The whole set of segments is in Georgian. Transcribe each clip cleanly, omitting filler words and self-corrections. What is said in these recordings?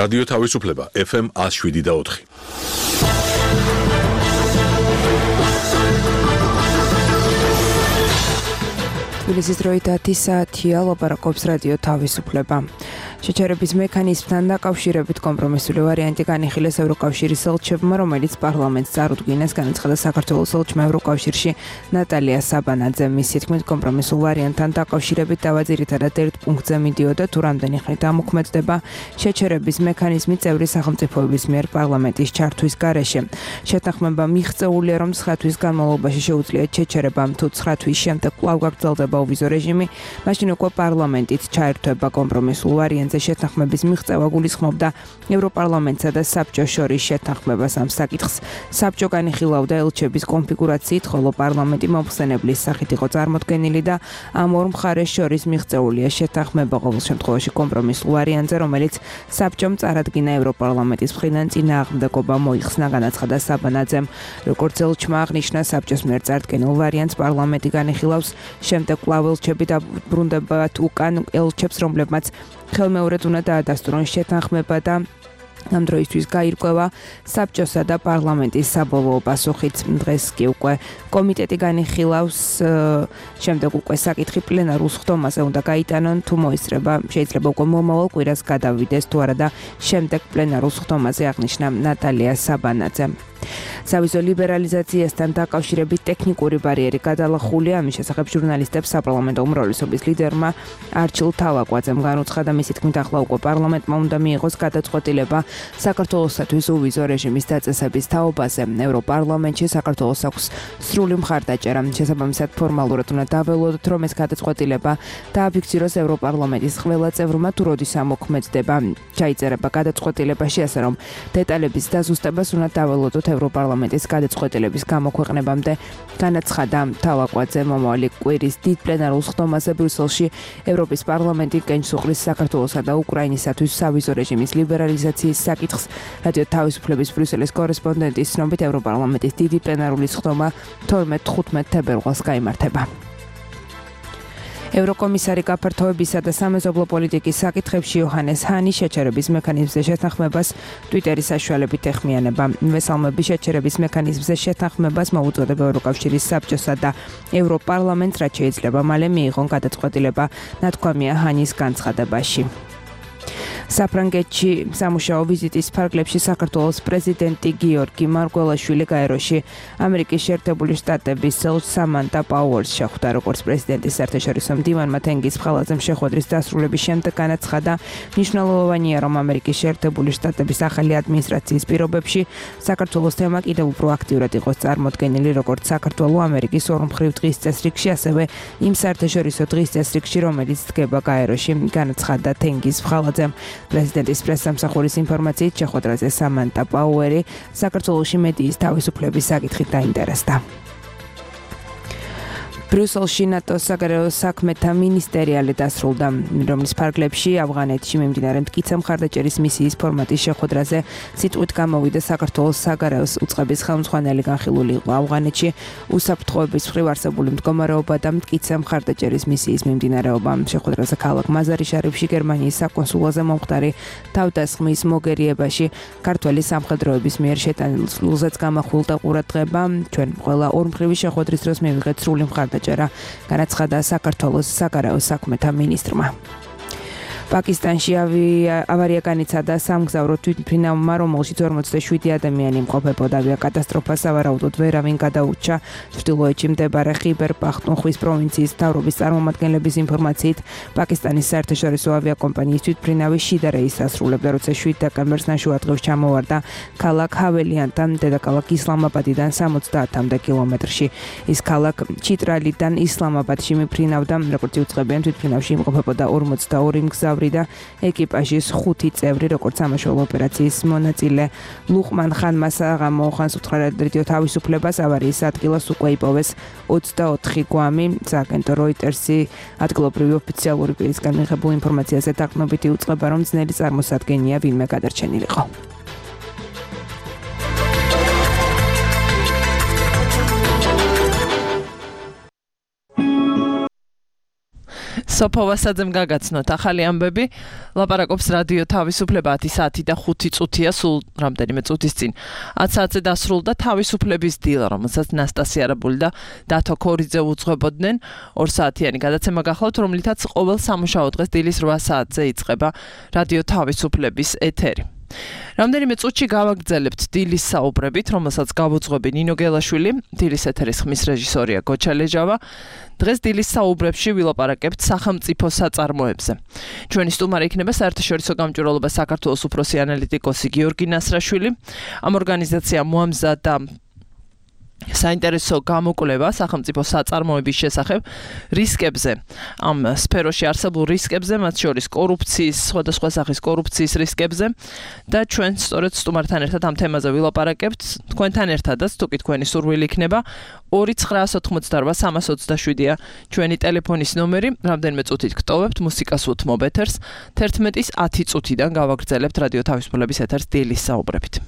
რადიო თავისუფლება FM 107.4. თბილისის დროით 10 საათია, ლაპარაკობს რადიო თავისუფლება. შეჩერების მექანიზმთან დაკავშირებით კომპრომისული ვარიანტი განიხილეს ევროკავშირის ელჩებმა, რომელიც პარლამენტს წარუდგინეს, განაცხადა საქართველოს ელჩმა ევროკავშირში ნატალია საბანაძემ. მისი თქმით, კომპრომისულ ვარიანტთან დაკავშირებით დავა ძირითადად ერთ პუნქტზე მიდიოდა, თუ რამდენი ხნით ამოქმედდება შეჩერების მექანიზმი წევრი სახელმწიფოების მიერ პარლამენტის ჩართვის გარეშე. შეთანხმება მიღწეულია, რომ 9 თვის განმავლობაში შეუძლიათ შეჩერებამ, თუ 9 თვის შემდეგ კვლავ გაგრძელდება ოვიზო რეჟიმი, მაშინ უკვე პარლამენტით ჩაერთვება კომპრომისულ ვარიანტზე. შეთანხმების მიღწევა გულისხმობდა ევროპარლამენტსა და საბჭოს შორის შეთანხმებას ამ საკითხს. საბჭო განიხილავდა ელჩების კონფიგურაციით, ხოლო პარლამენტი მომხსენებლის სახით იყო წარმოდგენილი და ამ ორ მხარეს შორის მიღწეულია შეთანხმება ყოველ შემთხვევაში კომპრომისულ ვარიანტზე, რომელიც საბჭომ წარადგინა ევროპარლამენტის მხრიდან წინააღმდეგობა მოიხსნა, განაცხადა საბანაძემ. როგორც ელჩმა აღნიშნა, საბჭოს მიერ წარდგენილ ვარიანტს პარლამენტი განიხილავს, შემდეგ კვლავ ელჩები დაბრუნდებათ უკან ელჩებს, რომლებმაც ხელმეორედ უნდა დაადასტურონ შეთანხმება და ამ დროისთვის გაირკვევა საბჭოსა და პარლამენტის საბოლოო პასუხით. დღეს კი უკვე კომიტეტი განიხილავს, შემდეგ უკვე საკითხი პლენარულ სხდომაზე უნდა გაიტანონ, თუ მოისწრება, შეიძლება უკვე მომავალ კვირას გადავიდეს თუ არა და შემდეგ პლენარულ სხდომაზე აღნიშნა ნატალია საბანაძემ. სავიზო ლიბერალიზაციასთან დაკავშირებით ტექნიკური ბარიერი გადალახულია. ამის შესახებ ჟურნალისტებს საპარლამენტო უმრავლესობის ლიდერმა არჩილ თავაკვაძემ განუცხადა, მისი თქმით, ახლა უკვე პარლამენტმა უნდა მიიღოს გადაწყვეტილება საქართველოსთვის ოვიზო რეჟიმის დაწესების თაობაზე. ევროპარლამენტში საქართველოს აქვს სრული მხარდაჭერა. შესაბამისად, ფორმალურად უნდა დაველოდოთ, რომ ეს გადაწყვეტილება დააფიქსიროს ევროპარლამენტის ყველა წევრმა, თუ როდის ამოქმედდება. ჩაიწერება გადაწყვეტილებაში, ასე რომ დეტალების დაზუსტებას უნდა დაველოდოთ ევროპარლამენტის გადაწყვეტილების გამოქვეყნებამდე, განაცხადა თავაკვაძე. მომავალი კვირის დიდ პლენარულ სხდომაზე ბრიუსელში ევროპის პარლამენტი კენჭს უყრის საქართველოსა და უკრაინისათვის სავიზო რეჟიმის ლიბერალიზაციის საკითხს. რადიო თავისუფლების ბრიუსელის კორესპონდენტის ცნობით, ევროპარლამენტის დიდი პლენარული სხდომა 12-15 თებერვალს გაიმართება. ევროკომისარი გაფართოებისა და სამეზობლო პოლიტიკის საკითხებში იოჰანეს ჰანი შეჩერების მექანიზმზე შეთანხმებას ტვიტერის საშუალებით ეხმიანება. ვესალმები შეჩერების მექანიზმზე შეთანხმებას მოუწოდება ევროკავშირის საბჭოსა და ევროპარლამენტს, რაც შეიძლება მალე მიიღონ გადაწყვეტილება, ნათქვამია ჰანის განცხადებაში. საფრანგეთში სამუშაო ვიზიტის ფარგლებში საქართველოს პრეზიდენტი გიორგი მარგველაშვილი გაეროში ამერიკის შეერთებული შტატების ელჩ სამანტა პაუერს შეხვდა. როგორც პრეზიდენტის საერთაშორისო მდივანმა თენგიზ ფხალაძემ შეხვედრის დასრულების შემდეგ განაცხადა, მნიშვნელოვანია, რომ ამერიკის შეერთებული შტატების ახალი ადმინისტრაციის პირობებში საქართველოს თემა კიდევ უფრო აქტიურად იყოს წარმოდგენილი, როგორც საქართველო ამერიკის ორმხრივ დღის წესრიგში, ასევე იმ საერთაშორისო დღის წესრიგში, რომელიც დგება გაეროში, განაცხადა თენგიზ ფხალაძემ. პრეზიდენტის პრესსამსახურის ინფორმაციით, შეხვედრაზე სამანტა პაუერი საქართველოში მედიის თავისუფლების საკითხით დაინტერესდა. ბრიუსელში ნატოს საგარეო საქმეთა მინისტერიალი დასრულდა, რომლის ფარგლებში ავღანეთში მიმდინარე მტკიცე მხარდაჭერის მისიის ფორმატის შეხვედრაზე სიტყვით გამოვიდა საქართველოს საგარეო უწყების ხელმძღვანელი. განხილული იყო ავღანეთში უსაფრთხოების მხრივ არსებული მდგომარეობა და მტკიცე მხარდაჭერის მისიის მიმდინარეობა. შეხვედრაზე ქალაქ მაზარი-შარიფში გერმანიის საკონსულოზე მომხდარი თავდასხმის მოგერიებაში ქართველი სამხედროების მიერ შეტანილზეც გამახვილდა ყურადღება. ჩვენ ყველა ორმხრივი შეხვედრის დროს მივიღეთ სრული მხარდაჭერა, განაცხადა საქართველოს საგარეო საქმეთა მინისტრმა. პაკისტანში ავარია განიცადა სამგზავრო თვითმფრინავმა, რომელშიც 47 ადამიანი იმყოფებოდა. ავიაკატასტროფას სავარაუდოდ ვერავინ გადაურჩა. ჩრდილოეთში მდებარე ხიბერ პახტუნხვის პროვინციის მთავრობის წარმომადგენლების ინფორმაციით, პაკისტანის საერთაშორისო ავიაკომპანიის თვითმფრინავი შიდა რეისს ასრულებდა, როცა 7 დეკემბერს ნაშუადღევს ჩამოვარდა ქალაქ ჰაველიანთან, დედაქალაქ ისლამაბადიდან 70-მდე კილომეტრში. ის ქალაქ ჩიტრალიდან ისლამაბადში მიფრინავდა, როგორც იუწყებიან, თვითმფრინავში იმყოფებოდა 42 მგზავრი და ეკიპაჟის 5 წევრი, როგორც სამაშველო ოპერაციის მონაწილე ლუყმან ხანმა საღამო ხანს უთხრა რადიო თავისუფლებას, ავარიის ადგილას უკვე იპოვეს 24 გვამი. სააგენტო როიტერსი ადგილობრივი ოფიციალური პირისგან მიღებულ ინფორმაციაზე დაყრდნობით იუწყება, რომ ძნელი წარმოსადგენია ვინმე გადარჩენილიყო. სოფოვასაძემ გაგაცნოთ ახალი ამბები. ლაპარაკობს რადიო თავისუფლება 10 საათი და 5 წუთია, სულ რამდენიმე წუთის წინ 10 საათზე დასრულდა თავისუფლების დილა, რომელსაც ნასტასი არაბული და დათო ქორიძე უძღვებოდნენ. 2 საათიანი გადაცემა გახლავთ, რომლითაც ყოველ სამუშაო დღეს დილის 8 საათზე იწყება რადიო თავისუფლების ეთერი. რამდენიმე წუთში გავაგრძელებთ დილის საუბრებით, რომელსაც გავუძღვები ნინო გელაშვილი, დილის ეთერის ხმის რეჟისორია გოჩა ლეჟავა. დღეს დილის საუბრებში ვილაპარაკებთ სახელმწიფო საწარმოებზე. ჩვენი სტუმარი იქნება საერთაშორისო გამჭვირვალობა საქართველოს უფროსი ანალიტიკოსი გიორგი ნასრაშვილი. ამ ორგანიზაციამ მოამზადა საინტერესო გამოკვლევა სახელმწიფო საწარმოების შესახებ რისკებზე, ამ სფეროში არსებულ რისკებზე, მათ შორის კორუფციის, სხვადასხვა სახის კორუფციის რისკებზე და ჩვენ სწორედ სტუმართან ერთად ამ თემაზე ვილაპარაკებთ. თქვენთან ერთადაც, თუკი თქვენი სურვილი იქნება, 2988327-ია ჩვენი ტელეფონის ნომერი. რამდენიმე წუთით გტოვებთ, მუსიკას უთმობ ეთერს. 11-ის 10 წუთიდან გავაგრძელებთ რადიო თავისუფლების ეთერს დილის საუბრებით.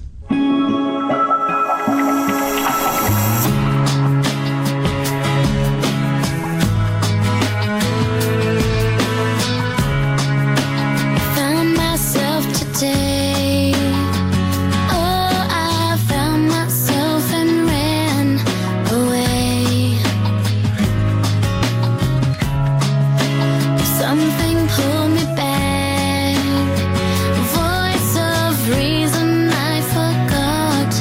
Voice of reason, I forgot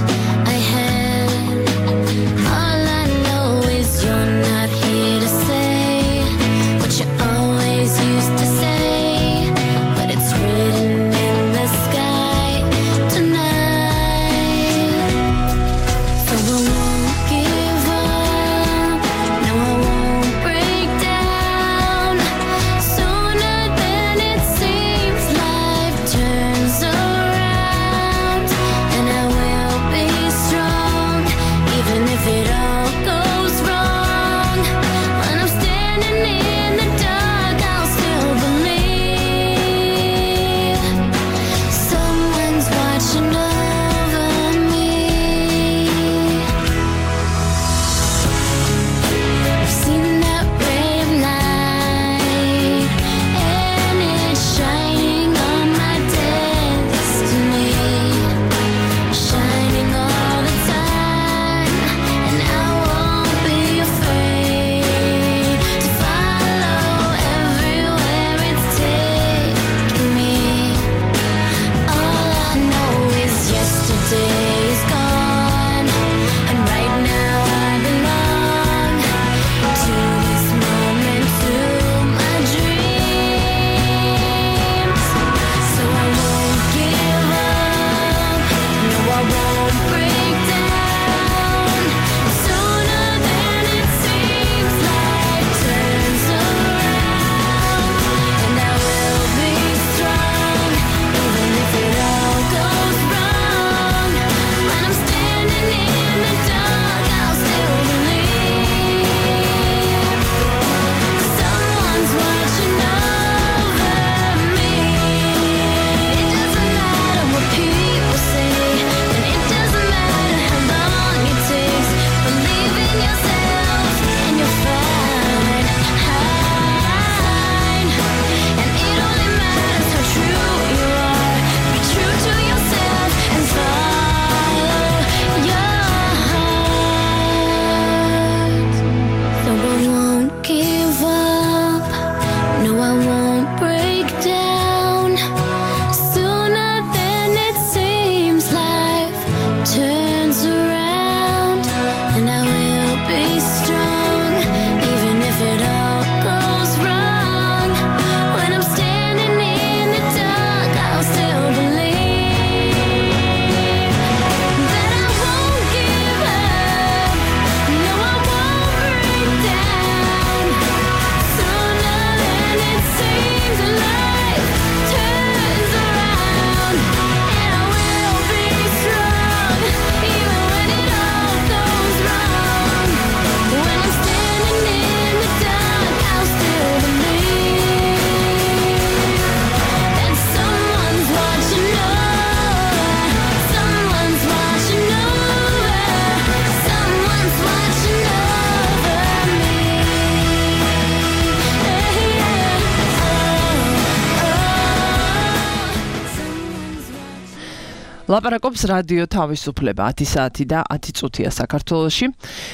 ლაპარაკობს რადიო თავისუფლება 10 საათი და 10 წუთია საქართველოში.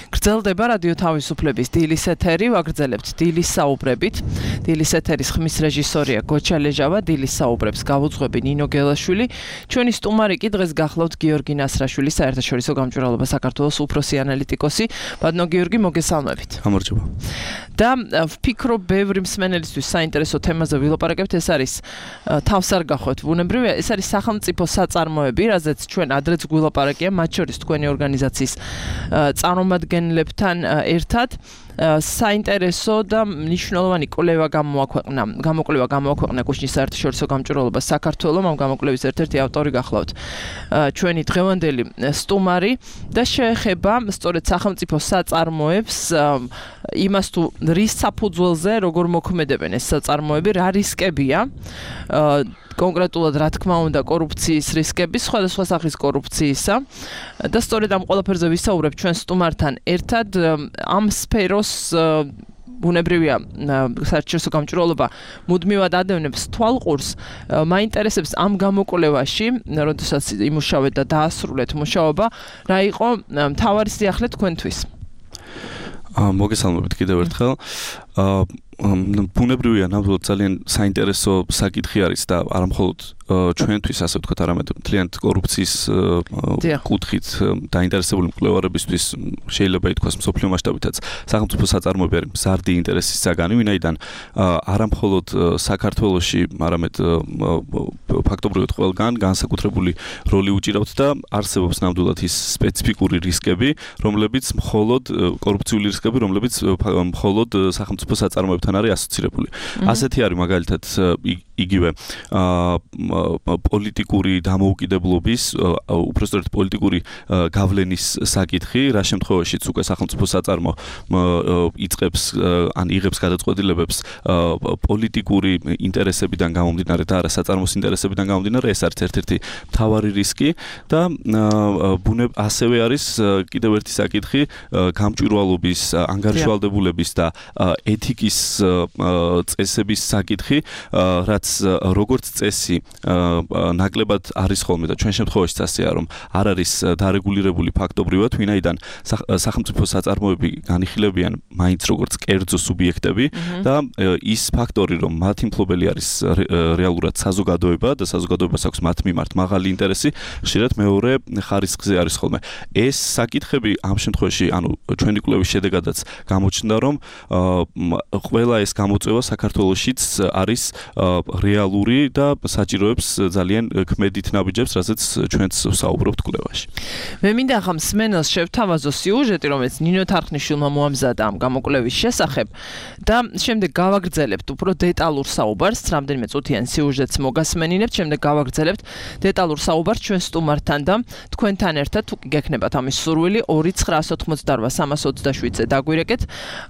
გრძელდება რადიო თავისუფლების დილის ეთერი, ვაგრძელებთ დილის საუბრებით. დილის ეთერის ხმის რეჟისორია გოჩა ლეჟავა, დილის საუბრებს გავუძღვები ნინო გელაშვილი. ჩვენი სტუმარი კი დღეს გახლავთ გიორგი ნასრაშვილი, საერთაშორისო გამჭვირვალობა საქართველოს უფროსი ანალიტიკოსი. ბატონო გიორგი, მოგესალმებით. გამარჯობა. და ვფიქრობ, ბევრი მსმენელისთვის საინტერესო თემაზე ვილაპარაკებთ, ეს არის თავს არ გახვევთ ბუნებრივია, ეს არის სახელმწიფო საწარმოები, რაზეც ჩვენ ადრეც გვილაპარაკია, მათ შორის თქვენი ორგანიზაციის წარმომადგენლებთან ერთად. საინტერესო და მნიშვნელოვანი კვლევა გამოაქვეყნა კუშნის საერთაშორისო გამჭვირვალობას საქართველოს, ამ გამოკვლევის ერთ-ერთი ავტორი გახლავთ ჩვენი დღევანდელი სტუმარი და შეეხება სწორედ სახელმწიფო საწარმოებს, იმას თუ რის საფუძველზე როგორ მოქმედებენ ეს საწარმოები, რა რისკებია, კონკრეტულად რა თქმა უნდა კორუფციის რისკები, სხვადასხვა სახის კორუფციისა და სწორედ ამ ყველაფერზე ვისაუბრებ ჩვენ სტუმართან ერთად. ამ სფეროს ბუნებრივია საერთაშორისო გამჭვირვალობა მუდმივად ადევნებს თვალყურს. მაინტერესებს ამ გამოკვლევაში, როდესაც იმუშავეთ და დაასრულეთ მუშაობა, რა იყო მთავარი სიახლე თქვენთვის? მოგესალმებით კიდევ ერთხელ. ბუნებრივია, ნამდვილად ძალიან საინტერესო საკითხი არის და არა მხოლოდ ჩვენთვის, ასე ვთქვათ, არამედ მთლიანად კორუფციის კუთხით დაინტერესებული მკვლევარებისთვის შეიძლება ითქვას მსოფლიო მასშტაბითაც სახელმწიფო საწარმოები არის მზარდი ინტერესის საგანი, ვინაიდან არა მხოლოდ საქართველოში, არამედ ფაქტობრივად ყველგან განსაკუთრებული როლი უჭირავთ და არსებობს ნამდვილად ის სპეციფიკური რისკები, რომლებიც მხოლოდ კორუფციული რისკები, რომლებიც მხოლოდ სახელმწიფო საწარმოებთან არის ასოცირებული. ასეთი არის მაგალითად იგივე პოლიტიკური დამოუკიდებლობის, უпростоრეთ პოლიტიკური გავლენის საკითხი, რა შემთხვევაშიც უკვე სახელმწიფო საწარმო იწყებს ან იღებს გადაწყვეტილებებს პოლიტიკური ინტერესებიდან გამომდინარე და არა საწარმოს ინტერესებიდან გამომდინარე, ეს არის ერთ-ერთი მთავარი რისკი და ასევე არის კიდევ ერთი საკითხი გამჭვირვალობის, ანგარიშვალდებულების და ეთიკის წესების საკითხი, რაც როგორც წესი ნაკლებად არის ხოლმე და ჩვენ შემთხვევაშიც ასეა, რომ არ არის დარეგულირებული ფაქტობრივად, ვინაიდან სახელმწიფო საწარმოები განიხილებიან მაინც როგორც კერძო სუბიექტები და ის ფაქტორი, რომ მათი მფლობელი არის რეალურად საზოგადოება და საზოგადოებას აქვს მათ მიმართ მაღალი ინტერესი, ხშირად მეორე ხარისხზე არის ხოლმე. ეს საკითხები ამ შემთხვევაში, ანუ ჩვენი კვლევის შედეგადაც გამოჩნდა, რომ ყველა ეს გამოწვევა საქართველოშიც არის რეალური და საჭიროებს ძალიან ქმედით ნაბიჯებს, რასაც ჩვენც ვსაუბრობთ კვლევაში. მე მინდა ახლა მსმენელს შევთავაზო სიუჟეტი, რომელიც ნინო თარხნიშვილმა მოამზადა ამ გამოკვლევის შესახებ და შემდეგ გავაგრძელებთ უფრო დეტალურ საუბარს, რამდენიმე წუთიან სიუჟეტს მოგასმენინებთ, შემდეგ გავაგრძელებთ დეტალურ საუბარს ჩვენ სტუმართან და თქვენთან ერთად თუ გექნებათ ამის სურვილი 2988327-ზე დაგვირეკეთ.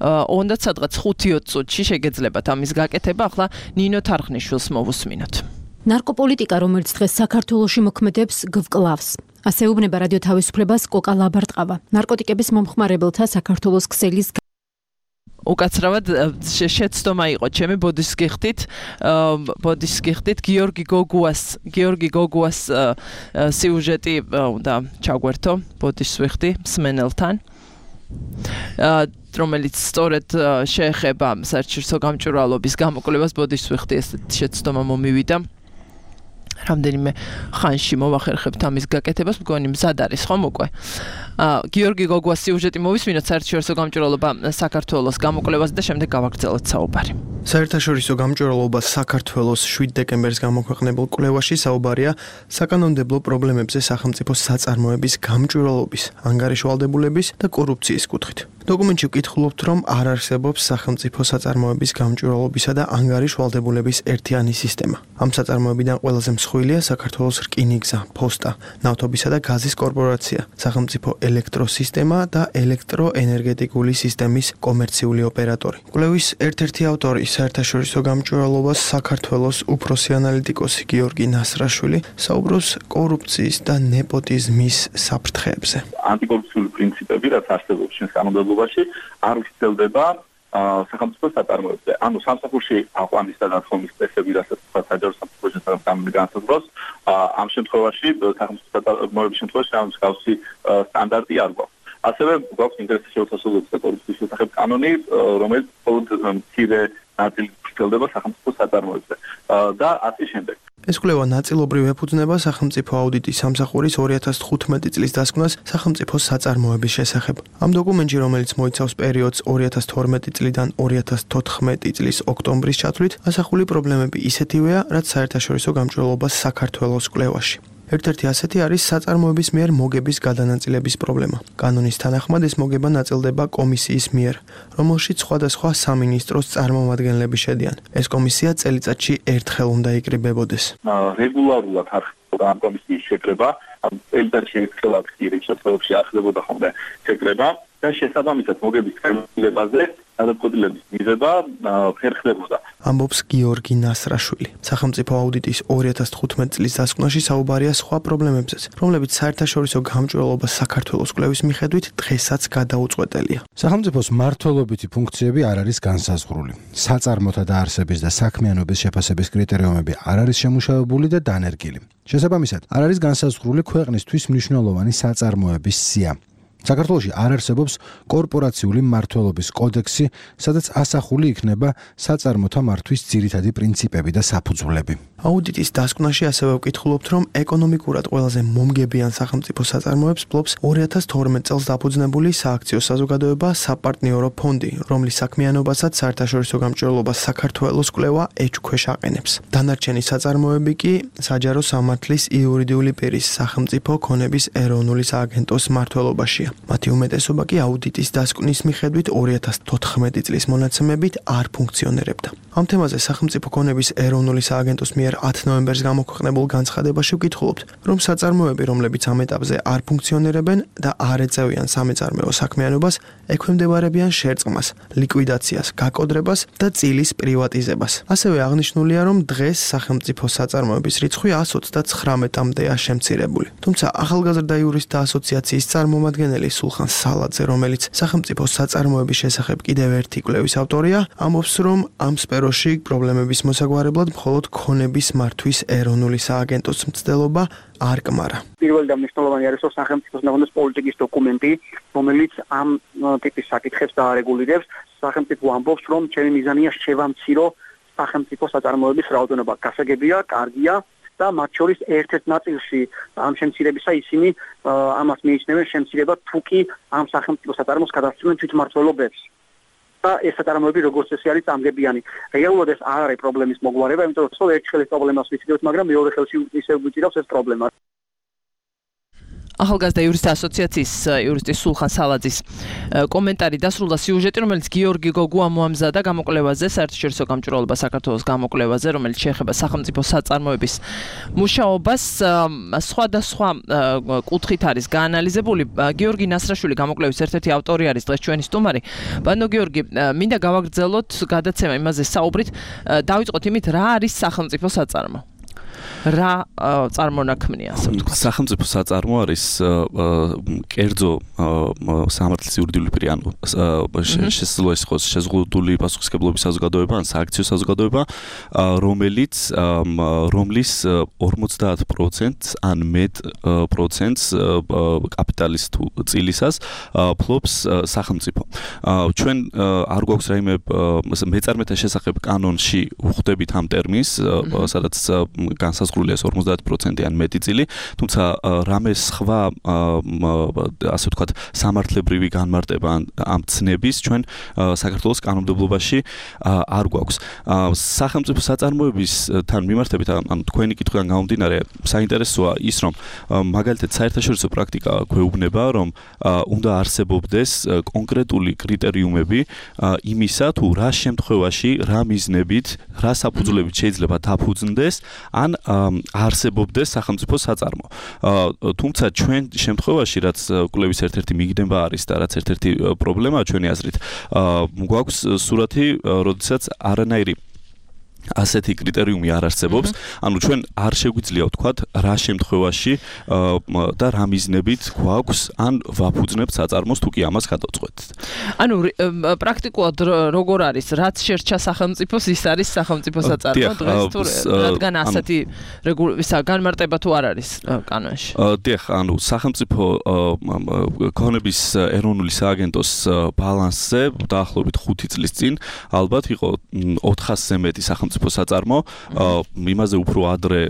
ოღონდ სადღაც 5-20 წუთში შეგეძლებათ ამის გაკეთება, ახლა ნინო თარხნიშვილს მოვუსმინოთ. ნარკოპოლიტიკა, რომელიც დღეს საქართველოში მოქმედებს, გვკლავს. ასე უბნება რადიო თავისუფლებას კოკა ლაბარტყავა. ნარკოტიკების მომხმარებელთა საქართველოს ქსელის უკაცრავად შეცდომა იყო ჩემი ბოდიშს გიხდით გიორგი გოგუას სიუჟეტი უნდა ჩაგვერთო, ბოდიშს ვიხდი მსმენელთან. რომელიც სწორედ შეეხება საერთაშორისო გამჭვირვალობის გამოკვლევას, ბოდიშს ვიხდი, ეს შეცდომა მომივიდა. რამდენიმე ხანში მოვახერხებთ ამის გაკეთებას, მგონი მზად არის ხომ უკვე. გიორგი გოგუას სიუჟეტი მოვისმინოთ საერთაშორისო გამჭვირვალობა საქართველოს გამოკვლევაზე და შემდეგ გავაგრძელოთ საუბარი. საერთაშორისო გამჭვირვალობა საქართველოს 7 დეკემბერს გამოქვეყნებულ კვლევაში საუბარია საკანონმდებლო პრობლემებზე სახელმწიფო საწარმოების გამჭვირვალობის, ანგარიშვალდებულების და კორუფციის კუთხით. დოკუმენტში ვკითხულობთ, რომ არ არსებობს სახელმწიფო საწარმოების გამჭვირვალობისა და ანგარიშვალდებულების ერთიანი სისტემა. ამ საწარმოებიდან ყველაზე მსხვილია საქართველოს რკინიგზა, ფოსტა, ნავთობისა და გაზის კორპორაცია, სახელმწიფო ელექტროსისტემა და ელექტროენერგეტიკული სისტემის კომერციული ოპერატორი. კვლევის ერთ-ერთი ავტორი, საერთაშორისო გამჭვირვალობას საქართველოს უფროსი ანალიტიკოსი გიორგი ნასრაშვილი საუბრობს კორუფციის და ნეპოტიზმის საფრთხეებზე. ანტიკორუფციული პრინციპები, რაც არსებობს ჩვენს კანონმდებლობაში, არ ვრცელდება სახელმწიფო საწარმოებზე. ანუ სამსახურში აყვანის და დათხოვნის წესები, რასაც საჯარო სამსახურის შესახებ განსაზღვრავს, ამ შემთხვევაში სახელმწიფო საწარმოების შემთხვევაში ამ მსგავსი სტანდარტი არ გვაქვს. ასევე გვაქვს ინტერესის შეუთასებლობის და კორუფციის შესახებ კანონი, რომელიც მხოლოდ მცირე ნაწილი გრძელდება სახელმწიფო საწარმოებზე და ასე შემდეგ. ეს კვლევა ნაწილობრივ ეფუძნება სახელმწიფო აუდიტის სამსახურის 2015 წლის დასკვნას სახელმწიფოს საწარმოების შესახებ. ამ დოკუმენტში, რომელიც მოიცავს პერიოდს 2012 წლიდან 2014 წლის ოქტომბრის ჩათვლით, ასახული პრობლემები ისეთივეა, რაც საერთაშორისო გამჭვირვალობას საქართველოს კვლევაში. ერთ-ერთი ასეთი არის საწარმოების მიერ მოგების გადანაწილების პრობლემა. კანონის თანახმად ეს მოგება ნაწილდება კომისიის მიერ, რომელშიც სხვადასხვა სამინისტროს წარმომადგენლები შედიან. ეს კომისია წელიწადში ერთხელ უნდა იკრიბებოდეს. რეგულარულად ხდება ამ კომისიის შეკრება, წელიწადში ერთხელ აქტირის შემთხვევებში ახდებოდა ხოლმე შეკრება და შესაბამისად მოგების განმარტებაზე გადაწყვეტილების მიღება ხერხდებოდა. ამბობს გიორგი ნასრაშვილი. სახელმწიფო აუდიტის 2015 წლის დასკვნაში საუბარია სხვა პრობლემებზეც, რომლებიც საერთაშორისო გამჭვირვალობას საქართველოს კვლევის მიხედვით დღესაც გადაუწყვეტელია. სახელმწიფოს მმართველობითი ფუნქციები არ არის განსაზღვრული. საწარმოთა დაარსების და საქმიანობის შეფასების კრიტერიუმები არ არის შემუშავებული და დანერგილი. შესაბამისად, არ არის განსაზღვრული ქვეყნისთვის მნიშვნელოვანი საწარმოების სია. საქართველოში არ არსებობს კორპორაციული მმართველობის კოდექსი, სადაც ასახული იქნება საწარმოთა მართვის ძირითადი პრინციპები და საფუძვლები. აუდიტის დასკვნაში ასევე ვკითხულობთ, რომ ეკონომიკურად ყველაზე მომგებიან სახელმწიფო საწარმოებს ფლობს 2012 წელს დაფუძნებული სააქციო საზოგადოება საპარტნიორო ფონდი, რომლის საქმიანობასაც საერთაშორისო გამჭვირვალობას საქართველოს კვლევა ეჭვქვეშ აყენებს. დანარჩენი საწარმოები კი საჯარო სამართლის იურიდიული პირის სახელმწიფო ქონების ეროვნული სააგენტოს მმართველობაშია. მათი უმეტესობა კი აუდიტის დასკვნის მიხედვით 2014 წლის მონაცემებით არ ფუნქციონირებდა. ამ თემაზე სახელმწიფო ქონების ეროვნული სააგენტოს მიერ 10 ნოემბერს გამოქვეყნებულ განცხადებაში ვკითხულობთ, რომ საწარმოები, რომლებიც ამ ეტაპზე არ ფუნქციონირებენ და არ ეწევიან სამეწარმეო საქმიანობას, ექვემდებარებიან შერწყმას, ლიკვიდაციას, გაკოდრებას და წილის პრივატიზებას. ასევე აღნიშნულია, რომ დღეს სახელმწიფო საწარმოების რიცხვი 129-მდეა შემცირებული. თუმცა ახალგაზრდა იურისტთა ასოციაციის წარმომადგენელი სულხან სალაძე, რომელიც სახელმწიფო საწარმოების შესახებ კიდევ ერთი კვლევის ავტორია, ამბობს, რომ ამ სფეროში პრობლემების მოსაგვარებლად მხოლოდ ქონების მართვის ეროვნული სააგენტოს მცდელობა არ კმარა. პირველი და მნიშვნელოვანი არის სახელმწიფოს ნორმის პოლიტიკის დოკუმენტი, რომელიც ამ ტიპის საკითხებს დაარეგულირებს. სახელმწიფო ამბობს, რომ ჩემი მიზანია შევამცირო სახელმწიფო საწარმოების რაოდენობა. გასაგებია, კარგია და მათ შორის ერთ-ერთ ნაწილში ამ შემცირებისა ისინი ამას მიიჩნევენ შემცირება თუ კი ამ სახელმწიფო საწარმოს გადასცემენ თვითმმართველობებს. და ეს საწარმოები როგორც წესი არის წამგებიანი. რეალურად ეს არ არის პრობლემის მოგვარება, იმიტომ რომ ერთ ხელის პრობლემას ვიცით, მაგრამ მეორე ხელში ისევ გვიწირავს ეს პრობლემა. ახალგაზრდა იურისტთა ასოციაციის იურისტი სულხან სალაძის კომენტარი დასრულდა სიუჟეტი, რომელიც გიორგი გოგუ ამოამზადა გამოკვლევაზე, საერთაშორისო გამჭვირვალობა საქართველოს გამოკვლევაზე, რომელიც შეეხება სახელმწიფო საწარმოების მუშაობას. სხვადასხვა კუთხით არის გაანალიზებული. გიორგი ნასრაშვილი გამოკვლევის ერთ-ერთი ავტორი არის დღეს ჩვენი სტუმარი. ბანო გიორგი, მინდა გავაგრძელოთ გადაცემა იმაზე საუბრით. დავიწყოთ იმით, რა არის სახელმწიფო საწარმო? რა წარმონაქმნია, ასე ვთქვათ. სახელმწიფო საწარმო არის კერძო სამართლის იურიდიული პირი, ანუ შესაძლოა ის იყოს შეზღუდული პასუხისმგებლობის საზოგადოება, ან სააქციო საზოგადოება, რომლის 50% ან მეტ პროცენტს კაპიტალის თუ წილისას ფლობს სახელმწიფო. ჩვენ არ გვაქვს რაიმე მეწარმეთა შესახებ კანონში ვხვდებით ამ ტერმინს, სადაც განსაზღვრულია 50% ან მეტი წილი, თუმცა რამე სხვა ასე ვთქვათ სამართლებრივი განმარტება ამ ცნების ჩვენ საქართველოს კანონმდებლობაში არ გვაქვს. სახელმწიფო საწარმოებისთან მიმართებით, ანუ თქვენი კითხვიდან გამომდინარე, საინტერესოა ის, რომ მაგალითად საერთაშორისო პრაქტიკა გვეუბნება, რომ უნდა არსებობდეს კონკრეტული კრიტერიუმები იმისა, თუ რა შემთხვევაში, რა მიზნებით, რა საფუძვლებით შეიძლება დაფუძნდეს ან არსებობდეს სახელმწიფო საწარმო. თუმცა ჩვენ შემთხვევაში, რაც კვლევის ერთ-ერთი მიგდება არის და რაც ერთ-ერთი პრობლემაა ჩვენი აზრით, გვაქვს სურათი, როდესაც არანაირი ასეთი კრიტერიუმი არ არსებობს. ანუ ჩვენ არ შეგვიძლია ვთქვათ რა შემთხვევაში და რა მიზნებით გვაქვს ან ვაფუძნებთ საწარმოს თუ კი ამას გადავწყვეტთ. ანუ პრაქტიკულად როგორ არის, რაც შერჩა სახელმწიფოს, ის არის სახელმწიფო საწარმო დღეს თუ რადგან ასეთი განმარტება თუ არ არის კანონში. დიახ, ანუ სახელმწიფო ქონების ეროვნული სააგენტოს ბალანსზე დაახლოებით 5 წლის წინ ალბათ იყო 400-ზე მეტი სახელმწიფო საწარმო, იმაზე უფრო ადრე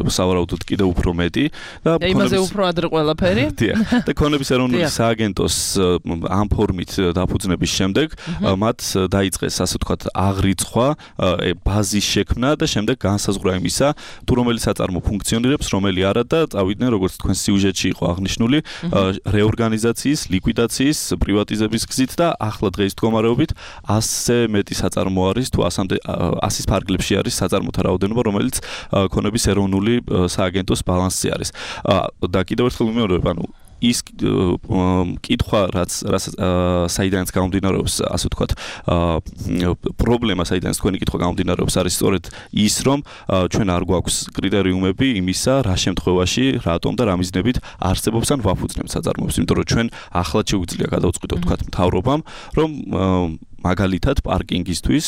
სავარაუდოდ კიდევ უფრო მეტი და იმაზე უფრო ადრე ყველაფერი. და ქონების ეროვნული სააგენტოს ამ ფორმით დაფუძნების შემდეგ მათ დაიწყეს ასე ვთქვათ აღრიცხვა, ბაზის შექმნა და შემდეგ განსაზღვრა იმისა, თუ რომელი საწარმო ფუნქციონირებს, რომელი არა და წავიდნენ როგორც თქვენ სიუჟეტში იყო აღნიშნული, რეორგანიზაციის, ლიკვიდაციის, პრივატიზების გზით და ახლა დღეის მდგომარეობით 100-ზე მეტი საწარმო არის თუ 100-ის ფარგლებში არის საწარმოთა რაოდენობა, რომელიც ქონების ეროვნული სააგენტოს ბალანსზე არის. და კიდევ ერთხელ ვიმეორებ, ანუ ის კითხვა, რაც საიდანაც გამომდინარეობს, ასე ვთქვათ, პრობლემა, საიდანაც თქვენი კითხვა გამომდინარეობს, არის სწორედ ის, რომ ჩვენ არ გვაქვს კრიტერიუმები იმისა, რა შემთხვევაში, რატომ და რა მიზნებით არსებობს ან ვაფუძნებთ საწარმოებს, იმიტომ რომ ჩვენ ახლად შეგვიძლია გადავწყვიტოთ, ვთქვათ, მთავრობამ, რომ მაგალითად პარკინგისთვის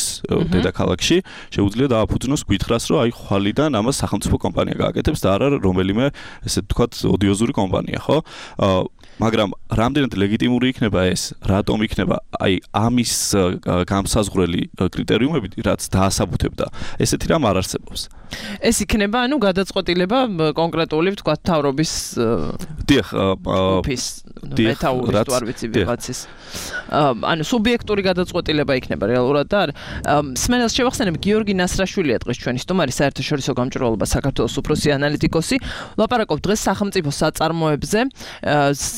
დედაქალაქში შეუძლია დააფუძნოს გითხრას, რომ აი ხვალიდან ამას სახელმწიფო კომპანია გააკეთებს და არა რომელიმე ესე ვთქვათ ოდიოზური კომპანია, ხო? მაგრამ რამდენად ლეგიტიმური იქნება ეს, რატომ იქნება აი ამის გამსაზღვრელი კრიტერიუმები, რაც დაასაბუთებდა, ესეთი რამ არ არსებობს. ეს იქნება, ანუ გადაწყვეტილება კონკრეტული, ვთქვათ, მთავრობის დიახ, ოფის მეთაურის თუ არ ვიცი ვიღაცის. ანუ სუბიექტური გადაწყვეტილება იქნება რეალურად და სმენელს შევახსენებ, გიორგი ნასრაშვილია დღეს ჩვენი სტუმარი, საერთაშორისო გამჭვირვალობა საქართველოს უფროსი ანალიტიკოსი. ვლაპარაკობთ დღეს სახელმწიფო საწარმოებზე.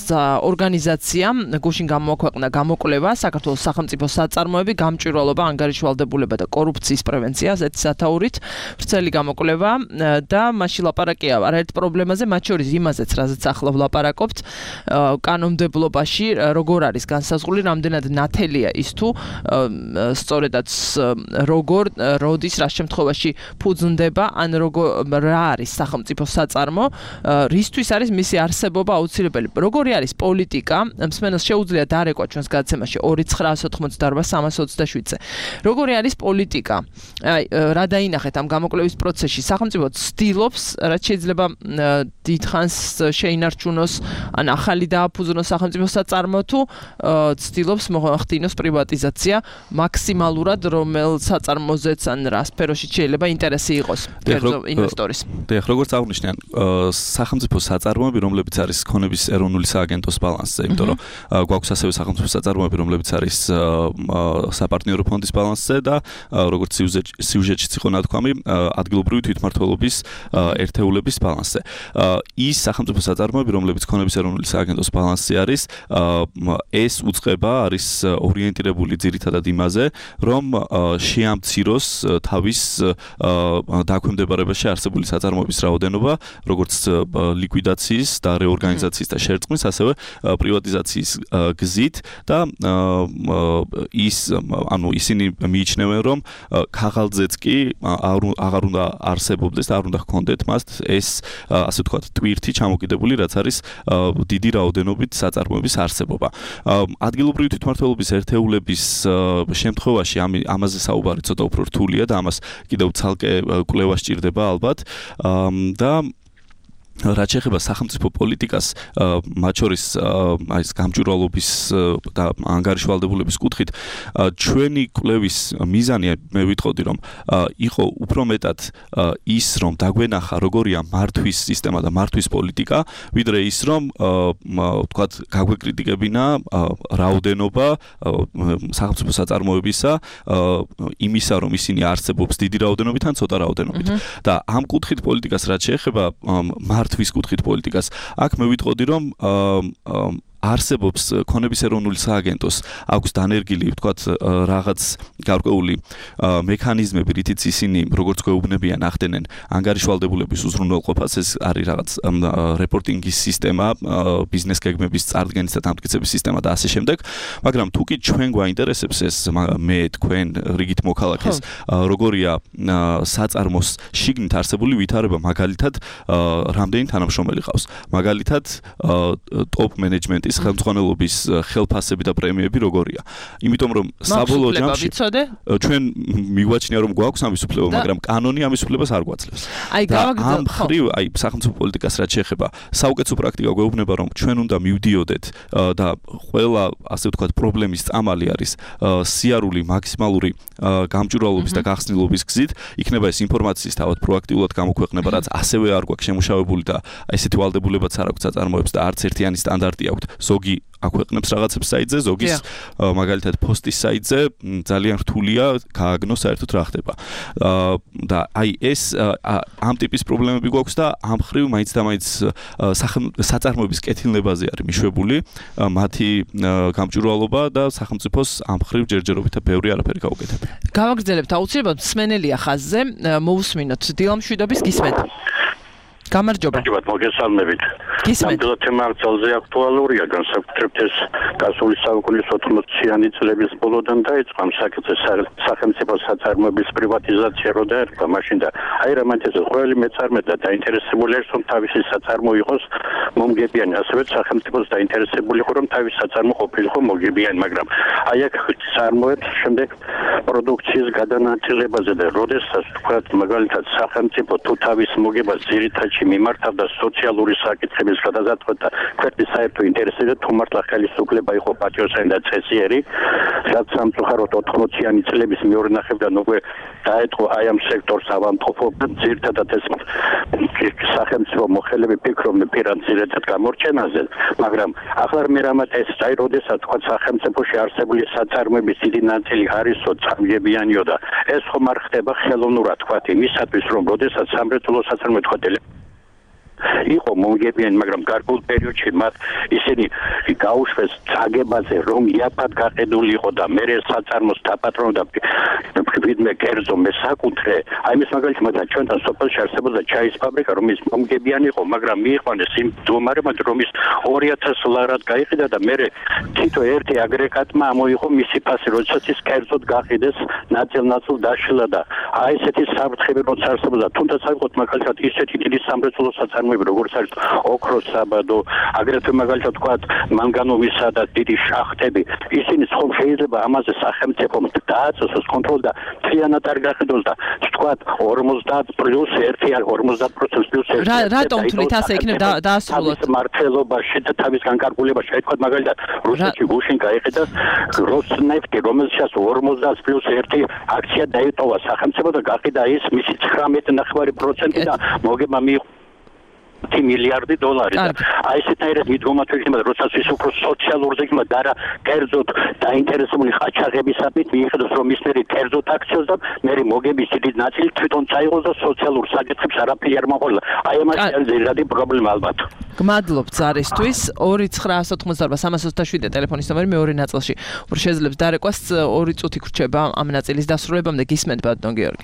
ორგანიზაციამ გუშინ გამოაქვეყნა გამოკვლევა საქართველოს სახელმწიფო საწარმოები, გამჭვირვალობა, ანგარიშვალდებულება და კორუფციის პრევენცია, ასეთი სათაურით. ვრცელი გამოკვლევა და მაშინ ლაპარაკია არაერთ პრობლემაზე, მათ შორის იმაზეც, რაზეც ახლა ვლაპარაკობთ, კანონმდებლობაში როგორ არის განსაზღვრული, რამდენად ნათელია ის თუ სწორედაც როგორ როდის რა შემთხვევაში ფუძნდება, ან რა არის სახელმწიფო საწარმო, რისთვის არის მისი არსებობა აუცილებელი. როგორი არის პოლიტიკა, მსმენელს შეუძლია დარეკვა ჩვენს გადაცემაში 2998327-ზე. როგორი არის პოლიტიკა? აი, რა დაინახეთ ამ გამოკვლევის პროცესში? სახელმწიფო ცდილობს, რაც შეიძლება დიდხანს შეინარჩუნოს, ან ახალი დააფუძნოს სახელმწიფო საწარმო თუ ცდილობს მოახდინოს პრივატიზაცია მაქსიმალურად, რომელ საწარმოზეც ან რა სფეროში შეიძლება ინტერესი იყოს ინვესტორის. დიახ, როგორც აღნიშნე, სახელმწიფო საწარმოები, რომლებიც არის ქონების ეროვნული სააგენტოს ბალანსზე, იმიტომ რომ გვაქვს ასევე სახელმწიფო საწარმოები, რომლებიც არის საპარტნიორო ფონდის ბალანსზე და როგორც სიუჟეტშიც იყო ნათქვამი, ადგილობრივი თვითმმართველობის ერთეულების ბალანსზე. ის სახელმწიფო საწარმოები, რომლებიც ქონების ეროვნული სააგენტოს ბალანსზე არის, ეს უწყება არის ორიენტირებული ძირითადად იმაზე, რომ შეამციროს თავის დაქვემდებარებაში არსებული საწარმოების რაოდენობა, როგორც ლიკვიდაციის და რეორგანიზაციის და შერწყმის, ასევე პრივატიზაციის გზით და ისინი მიიჩნევენ, რომ ქაღალდზეც კი აღარ უნდა არსებობდეს და არ უნდა ჰქონდეთ მას ეს ასე ვთქვათ ტვირთი ჩამოკიდებული, რაც არის დიდი რაოდენობით საწარმოების არსებობა. ადგილობრივი თვითმმართველობის ერთეულების შემთხვევაში ამაზე საუბარი ცოტა უფრო რთულია და ამას კიდევ ცალკე კვლევა სჭირდება ალბათ და რაც შეეხება სახელმწიფო პოლიტიკას, მათ შორის აი ეს გამჭვირვალობის და ანგარიშვალდებულების კუთხით, ჩვენი კვლევის მიზანი მე ვიტყოდი, რომ იყო უფრო მეტად ის, რომ დაგვენახა როგორია მართვის სისტემა და მართვის პოლიტიკა, ვიდრე ის, რომ ვთქვათ, გაგვეკრიტიკებინა რაოდენობა სახელმწიფო საწარმოებისა, იმისა, რომ ისინი არსებობს დიდი რაოდენობით ან ცოტა რაოდენობით. და ამ კუთხით პოლიტიკას რაც შეეხება თვის კუთხით პოლიტიკას. აქ მე ვიტყოდი, რომ არსებობს ქონების ეროვნული სააგენტოს აქვს დანერგილი ვთქვათ რაღაც გარკვეული მექანიზმები, რითიც ისინი როგორც გვეუბნებიან ახდენენ ანგარიშვალდებულების უზრუნველყოფას, ეს არის რაღაც რეპორტინგის სისტემა, ბიზნეს გეგმების წარდგენის და დამტკიცების სისტემა და ასე შემდეგ, მაგრამ თუ კი ჩვენ გვაინტერესებს ეს მე თქვენ რიგით მოქალაქეს, როგორია საწარმოს შიგნით არსებული ვითარება, მაგალითად რამდენი თანამშრომელი ყავს, მაგალითად ტოპ მენეჯმენტის ხელმძღვანელობის ხელფასები და პრემიები როგორია. იმიტომ რომ საბოლოო ჯამში ჩვენ მიგვაჩნია რომ გვაქვს ამის უფლება, მაგრამ კანონი ამის უფლებას არ გვაძლევს. ამ ხრივ, სახელმწიფო პოლიტიკას რაც შეეხება, საუკეთესო პრაქტიკა გვეუბნება რომ ჩვენ უნდა მივდიოდეთ და ყველა ასე ვთქვათ პრობლემის წამალი არის სიარული მაქსიმალური გამჭვირვალობის და გახსნილობის გზით, იქნება ეს ინფორმაციის თავად პროაქტიულად გამოქვეყნება, რაც ასევე არ გვაქვს შემუშავებული და ესეთი ვალდებულებაც არ აქვს საწარმოებს და არც ერთიანი სტანდარტი აქვს. ზოგი აქვეყნებს რაღაცებს საიტზე, ზოგის მაგალითად პოსტის საიტზე ძალიან რთულია გააგნოს საერთოდ რა ხდება. და აი ეს ამ ტიპის პრობლემები გვაქვს და ამ ხრივ მაინც და მაინც საწარმოების კეთილნებაზე არის მიშვებული მათი გამჭვირვალობა და სახელმწიფოს ამ ხრივ ჯერჯერობით ბევრი არაფერი გაუკეთებია. გავაგრძელებთ აუცილებლად მსმენელია ხაზზე, მოусმინოთ დილამ შვიდობის გისმენთ. გამარჯობა. მოგესალმებით. ნამდვილად თემა ძალზე აქტუალურია, განსაკუთრებით ეს გასული საუკუნის 80-იანი წლების ბოლოდან დაიწყო ამ საკითხზე სახელმწიფო საწარმოების პრივატიზაცია რო დაერქვა მაშინ და აი რამანთესო ყოველი მეწარმე და დაინტერესებული არის რომ თავისი საწარმო იყოს მომგებიანი, ასევე სახელმწიფოს დაინტერესებული იყო რომ თავისი საწარმო ყოფილიყო მოგებიანი, მაგრამ აი აქ წარმოებს შემდეგ პროდუქციის გადანაწილებაზე და როდესაც თქვათ მაგალითად სახელმწიფო თუ თავის მოგებას ძირითადად მიმართავდა სოციალური საკითხების გადაზარდვად და ქვეყნის საერთო ინტერესებზე თუ მართლა ხელისუფლება იყო პატრიოტული და წესიერი, რაც სამწუხაროდ 80-იანი წლების მეორე ნახევრიდან უკვე დაეთყო აი ამ სექტორს ავადმყოფობა, ძირითადად ეს სახელმწიფო მოხელეები ფიქრობდნენ ფინანსირებად გამორჩენაზე, მაგრამ ახლა მე რამაც ეს აი როდესაც თქვა სახელმწიფოში არსებული საწარმოების დიდი ნაწილი არისო წამგებიანიო და ეს ხომ არ ხდება ხელოვნურად თქვა იმისათვის რომ როდესაც სამრეწველო საწარმოები თქვა იყო მომგებიანი, მაგრამ გარკვეულ პერიოდში მათ ისინი გაუშვეს წაგებაზე, რომ იაფად გაყიდული იყო და მე საწარმოს დაპატრონდა ვიდმე კერძო მესაკუთრე. აი ეს მაგალითად მათ ჩვენთან სოფელში არსებობდა ჩაის ფაბრიკა, რომელიც მომგებიანი იყო, მაგრამ მიიყვანეს იმ მდგომარეობად, რომ ის 2000 ლარად გაიყიდა და მე თითო ერთი აგრეგატმა ამოიღო მისი ფასი, როდესაც ის კერძოდ გაყიდეს ნაწილ-ნაწილ დაშლა და აი ესეთი საფრთხები როცა არსებობდა, თუნდაც აიღოთ მაგალითად ისეთი დიდი სამრეწველო საწარმოები, როგორც არის ოქროს საბადო, აგრეთვე მაგალითად ვთქვათ მანგანუმისა და დიდი შახტები, ისინი ხომ შეიძლება ამაზე სახელმწიფომ დააწესოს კონტროლი და მთლიანად არ გაყიდოს და ვთქვათ 50 პლუს 1 ან 50% პლუს 1. რატომ თვლით ასე იქნება დაასრულოთ? მართლობაში და თავის განკარგულებაში, აი თქვათ მაგალითად რუსეთში გუშინ გაიყიდა როსნეფტი, რომელსაც 50 პლუს 1 აქცია დაიტოვა სახელმწიფო და გაყიდა ის მისი 19.9% და მოგება მიიღო 10 მილიარდი დოლარი და აი ესეთაირად მიდგომათ იქნება როდესაც ის უფრო სოციალურზე იქნება და რა კერძოდ დაინტერესებული ყაჩაღებისადმი მიიღოს რომ ისინი კერძოდ აქციას და მე მოგების დიდი ნაწილი თვითონ წაიღოს და სოციალურ საკითხებს არაფერი არ მოყოლა. აი ამაში არის ძირითადი პრობლემა ალბათ. გმადლობთ ზარისთვის 2988327 ტელეფონის ნომერი მეორე ნაწილში. უფრო შეძლებს დარეკვას 2 წუთი გრჩება ამ ნაწილის დასრულებამდე გისმენთ ბატონ გიორგი.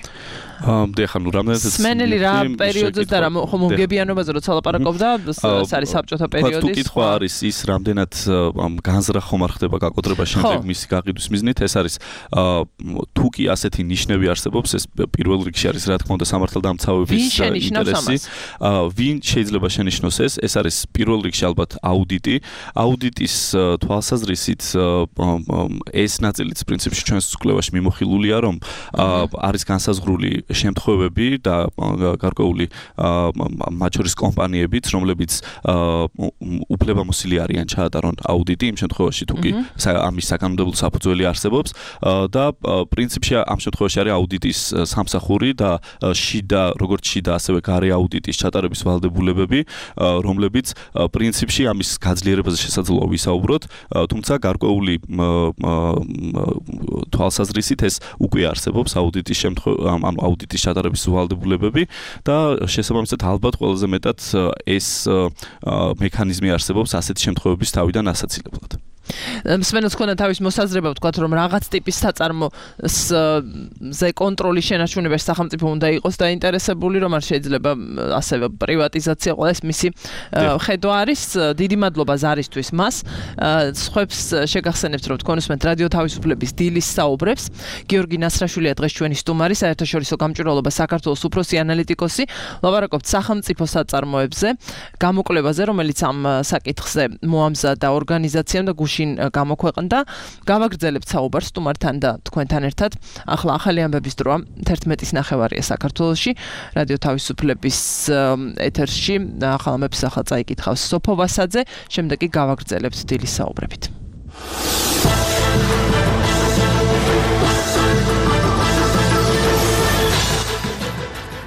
დიახ, ანუ რამდენადაც სმენელი რა პერიოდზე და რა მომგებიანობაზე როცა ლაპარაკობდა, ეს არის საბჭოთა პერიოდის. თუ კითხვა არის ის რამდენად განზრახ ხომ არ ხდება გაკოტრება შემდეგ მისი გაყიდვის მიზნით, ეს არის თუ კი ასეთი ნიშნები არსებობს, ეს პირველ რიგში არის რა თქმა უნდა სამართალდამცავების ინტერესი. ვინ შეიძლება შენიშნოს ეს არის პირველ რიგში ალბათ აუდიტი. აუდიტის თვალსაზრისით ეს ნაწილიც პრინციპში ჩვენს კვლევაში მიმოხილულია, რომ არის განსაზღვრული შემთხვევები და გარკვეული მათ შორის კომპანიებიც, რომლებიც უფლებამოსილი არიან ჩაატარონ აუდიტი იმ შემთხვევაში თუ კი ამის საკანონმდებლო საფუძველი არსებობს და პრინციპში ამ შემთხვევაში არის აუდიტის სამსახური და შიდა, როგორც შიდა, ასევე გარე აუდიტის ჩატარების ვალდებულებები, რომლებიც პრინციპში ამის გაძლიერებაზე შესაძლოა ვისაუბროთ, თუმცა გარკვეული თვალსაზრისით ეს უკვე არსებობს აუდიტის შემთხვევაში, აუდიტის ჩატარების ვალდებულებები და შესაბამისად ალბათ ყველაზე მეტად ეს მექანიზმი არსებობს ასეთი შემთხვევების თავიდან ასაცილებლად. მსმენელს ქონდა თავის მოსაზრება ვთქვათ რომ რაღაც ტიპის საწარმოზე კონტროლის შენარჩუნებაში სახელმწიფო უნდა იყოს დაინტერესებული რომ არ შეიძლება ასევე პრივატიზაცია ყველა ეს მისი ხედვა არის დიდი მადლობა ზარისთვის მას სხვებს შეგახსენებთ რომ თქვენ უსმენთ რადიო თავისუფლების დილის საუბრებს გიორგი ნასრაშვილია დღეს ჩვენი სტუმარი საერთაშორისო გამჭვირვალობა საქართველოს უფროსი ანალიტიკოსი ლაპარაკობთ სახელმწიფო საწარმოებზე გამოკვლევაზე რომელიც ამ საკითხზე მოამზადა ორგანიზაციამ და გამოქვეყნდა გავაგრძელებთ საუბარს სტუმართან და თქვენთან ერთად ახლა ახალი ამბების დროა 11:09 საქართველოში რადიო თავისუფლების ეთერში ახალ ამბებს ახლა წაიკითხავს სოფო ვასაძე შემდეგ კი გავაგრძელებთ დილის საუბრებით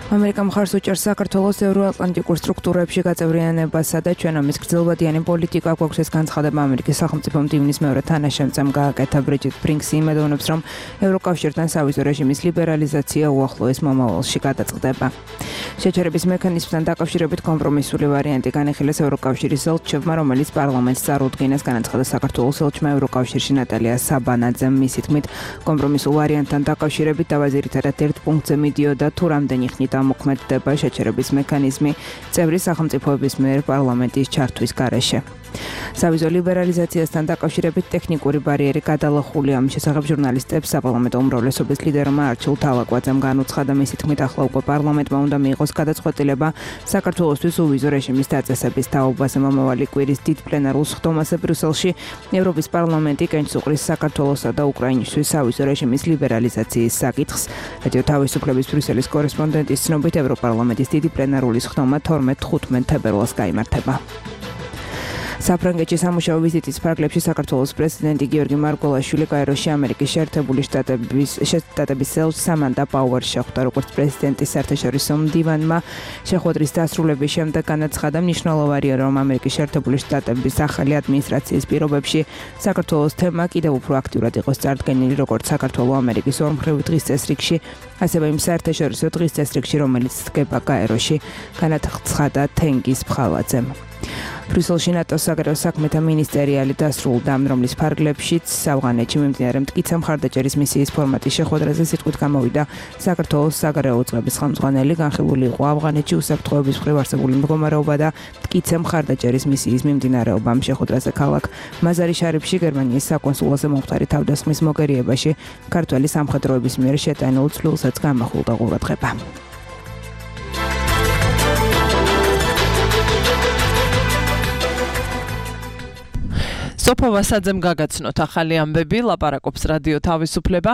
ამერიკა მხარს უჭერს საქართველოს ევროატლანტიკურ სტრუქტურებში გაწევრიანებასა და ჩვენ ამის გრძელვადიანი პოლიტიკა გვაქვს ეს განცხადება ამერიკის სახელმწიფო მდივნის მეორე თანაშემწემ გააკეთა ბრიჯიტ ბრინქსი იმედოვნებს რომ ევროკავშირთან სავიზო რეჟიმის ლიბერალიზაცია უახლოეს მომავალში გადაწყდება შეჩერების მექანიზმთან დაკავშირებით კომპრომისული ვარიანტი განიხილეს ევროკავშირის ელჩებმა რომელიც პარლამენტს წარუდგინეს განაცხადა საქართველოს ელჩმა ევროკავშირში ნატალია საბანაძემ მისი თქმით კომპრომისულ ვარიანტთან დაკავშირებით დავაზირითადად ერთ პუნქტზე მიდიოდა თუ რამდენი ხნით მოქმედდება შეჩერების მექანიზმი წევრი სახელმწიფოების მიერ პარლამენტის ჩართვის გარეშე. სავიზო ლიბერალიზაციასთან დაკავშირებით ტექნიკური ბარიერი გადალახულია ამ შესახებ ჟურნალისტებს საპარლამენტო უმრავლესობის ლიდერმა არჩილ თავაკვაძემ განუცხადა მისი თქმით ახლა უკვე პარლამენტმა უნდა მიიღოს გადაწყვეტილება საქართველოსთვის უვიზო რეჟიმის დაწესების თაობაზე მომავალი კვირის დიდ პლენარულ სხდომაზე ბრიუსელში ევროპის პარლამენტი კენჭს უყრის საქართველოსა და უკრაინისთვის სავიზო რეჟიმის ლიბერალიზაციის საკითხს რადიო თავისუფლების ბრიუსელის კორესპონდენტის ცნობით ევროპარლამენტის დიდი პლენარული სხდომა 12-15 თებერვალს გაიმართება. საფრანგეთში სამუშაო ვიზიტის ფარგლებში საქართველოს პრეზიდენტი გიორგი მარგველაშვილი კაიროში ამერიკის შეერთებული შტატების ელჩს სამანდა პაუერს შეხვდა როგორც პრეზიდენტის საერთაშორისო მდივანმა შეხვედრის დასრულების შემდეგ განაცხადა მნიშვნელოვანია რომ ამერიკის შეერთებული შტატების ახალი ადმინისტრაციის პირობებში საქართველოს თემა კიდევ უფრო აქტიურად იყოს წარდგენილი როგორც საქართველოს ამერიკის ორმხრივი დღის წესრიგში ასევე იმ საერთაშორისო დღის წესრიგში რომელიც დგება კაიროში განაცხადა თენგიზ ფხალაძემ ბრიუსელში ნატოს საგარეო საქმეთა მინისტერიალი დასრულდა რომლის ფარგლებშიც ავღანეთში მიმდინარე მტკიცე მხარდაჭერის მისიის ფორმატის შეხვედრაზე სიტყვით გამოვიდა საქართველოს საგარეო უწყების ხელმძღვანელი განხილული იყო ავღანეთში უსაფრთხოების მხრივ არსებული მდგომარეობა და მტკიცე მხარდაჭერის მისიის მიმდინარეობა ამ შეხვედრაზე ქალაქ მაზარი-შარიფში გერმანიის საკონსულოზე მომხდარი თავდასხმის მოგერიებაში ქართველი სამხედროების მიერ შეტანილ ცვლილსაც გამახვილდა ყურადღება. სოფო ვასაძემ გაგაცნოთ ახალი ამბები ლაპარაკობს რადიო თავისუფლება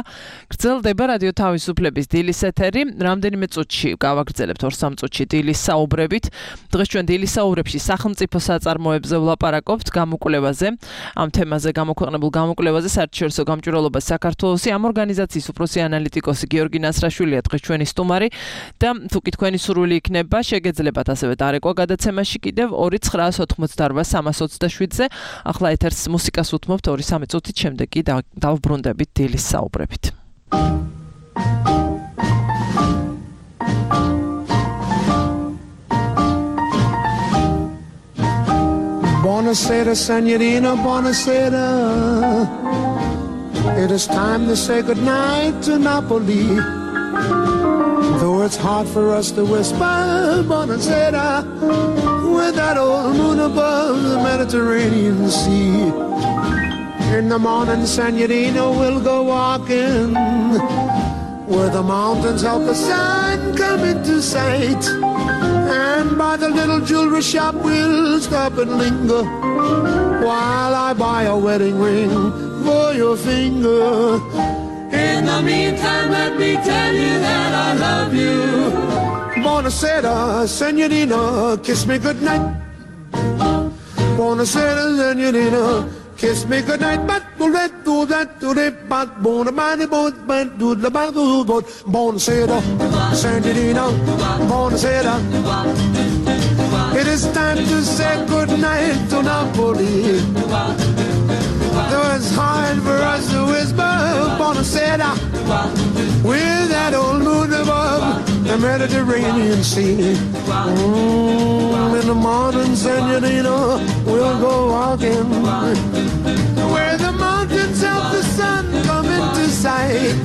გრძელდება რადიო თავისუფლების დილის ეთერი რამდენიმე წუთში გავაგრძელებთ 2-3 წუთში დილის საუბრებით დღეს ჩვენ დილის საუბრებში სახელმწიფო საწარმოებზე ვლაპარაკობთ გამოკვლევაზე ამ თემაზე გამოქვეყნებულ გამოკვლევაზე საერთაშორისო გამჭვირვალობა საქართველოსი ამ ორგანიზაციის უფროსი ანალიტიკოსი გიორგი ნასრაშვილია დღეს ჩვენი სტუმარი და თუკი თქვენი სურვილი იქნება შეგეძლებათ ასევე დარეკვა გადაცემაში კიდევ 2988327-ზე ახლა ეთერს მუსიკას უთმობთ 2-3 წუთით შემდეგ კი დავბრუნდებით დილის საუბრებით. Buonasera, signorina, buonasera. It is time to say goodnight to Napoli. Though it's hard for us to whisper, buonasera, with that old moon above the Mediterranean Sea. In the morning, signorina, we'll go walking where the mountains help the sun come into sight. And by the little jewelry shop, we'll stop and linger while I buy a wedding ring for your finger. In the meantime, let me tell you that I love you. Buonasera, signorina, kiss me goodnight. Buonasera, signorina, kiss me goodnight. But do that, do that, do that, but bon, body, boat, but do the bado, boat. Buonasera, signorina, buonasera. It is time to say goodnight to Napoli. Though it's hard for us to whisper, buonasera, with that old moon above the the Mediterranean Sea. In the morning, senorita, we'll go walking where the mountains of the sun come into sight.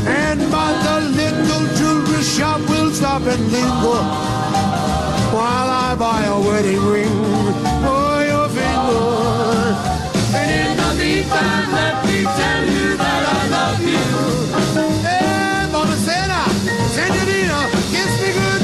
And by the little jewelry shop, we'll stop and linger while I buy a wedding ring for your finger. And in the meantime, let me tell you that I love you. Hey, Bonacera, senorita, kiss me good.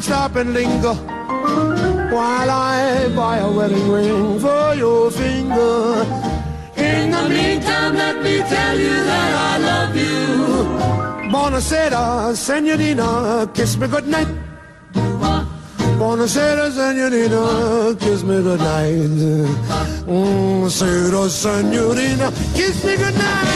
Stop and linger while I buy a wedding ring for your finger. In the meantime, let me tell you that I love you. Buonasera, senorita, kiss me good night. Buonasera, senorita, kiss me good night. Buonasera, senorita, kiss me good night.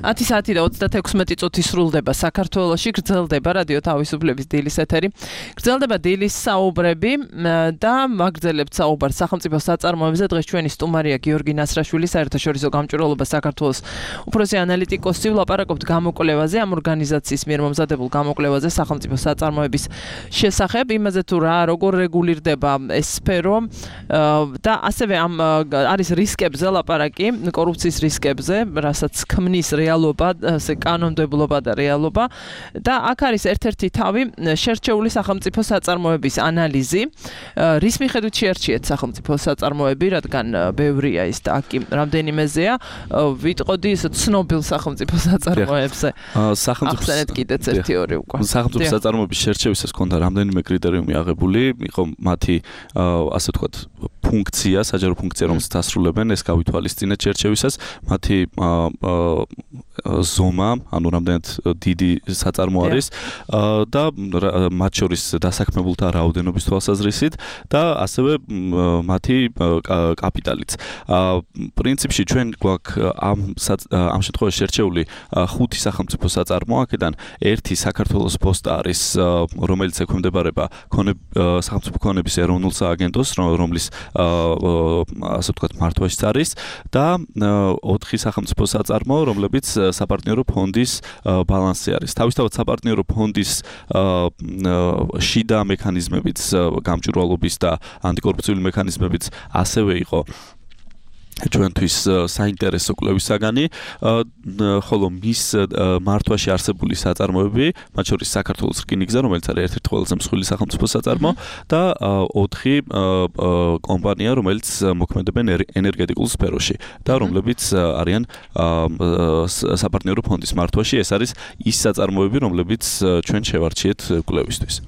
Ათი საათი და 36 წუთი სრულდება საქართველოში, გრძელდება რადიო თავისუფლების დილის ეთერი. გრძელდება დილის საუბრები და მაგრძელებთ საუბარს სახელმწიფო საწარმოებზე. დღეს ჩვენი სტუმარია გიორგი ნასრაშვილი, საერთაშორისო გამჭვირვალობა საქართველოს უფროსი ანალიტიკოსი. ვლაპარაკობთ გამოკვლევაზე, ამ ორგანიზაციის მიერ მომზადებულ გამოკვლევაზე სახელმწიფო საწარმოების შესახებ, იმაზე თუ როგორ რეგულირდება ეს სფერო და ასევე ამ არის რისკებზე ლაპარაკი, კორუფციის რისკებზე, რასაც ქმნის რეალობა, ასე კანონმდებლობა და რეალობა და აქ არის ერთ-ერთი თავი შერჩეული სახელმწიფო საწარმოების ანალიზი. რის მიხედვით შეარჩიეთ სახელმწიფო საწარმოები, რადგან ბევრია ის და აქ რამდენიმეზეა, ვიტყოდი ისე ცნობილ სახელმწიფო საწარმოებზე. ახსენეთ კიდეც ერთი-ორი უკვე. სახელმწიფო საწარმოების შერჩევისას ჰქონდა რამდენიმე კრიტერიუმი აღებული, იყო მათი ასე ვთქვათ ფუნქცია, საჯარო ფუნქცია, რომელსაც ასრულებენ, ეს გავითვალისწინეთ შერჩევისას, მათი ზომა, ანუ რამდენად დიდი საწარმო არის და მათ შორის დასაქმებულთა რაოდენობის თვალსაზრისით და ასევე მათი კაპიტალიც. პრინციპში ჩვენ გვაქვს ამ შემთხვევაში შერჩეული 5 სახელმწიფო საწარმო, აქედან ერთი საქართველოს პოსტა არის, რომელიც ექვემდებარება სახელმწიფო ქონების ეროვნულ სააგენტოს, რომლის ასე ვთქვათ მართვაშიც არის და 4 სახელმწიფო საწარმო, რომლებიც საპარტნიორო ფონდის ბალანსი არის. თავისთავად საპარტნიორო ფონდის შიდა მექანიზმებიც, გამჭვირვალობის და ანტიკორუფციული მექანიზმებიც ასევე იყო ჩვენთვის საინტერესო კვლევის საგანი, ხოლო მის მართვაში არსებული საწარმოები, მათ შორის საქართველოს რკინიგზა, რომელიც არის ერთ-ერთი ყველაზე მსხვილი სახელმწიფო საწარმო და 4 კომპანია, რომელიც მოქმედებენ ენერგეტიკულ სფეროში და რომლებიც არიან საპარტნიორო ფონდის მართვაში. ეს არის ის საწარმოები, რომლებიც ჩვენ შევარჩიეთ კვლევისთვის.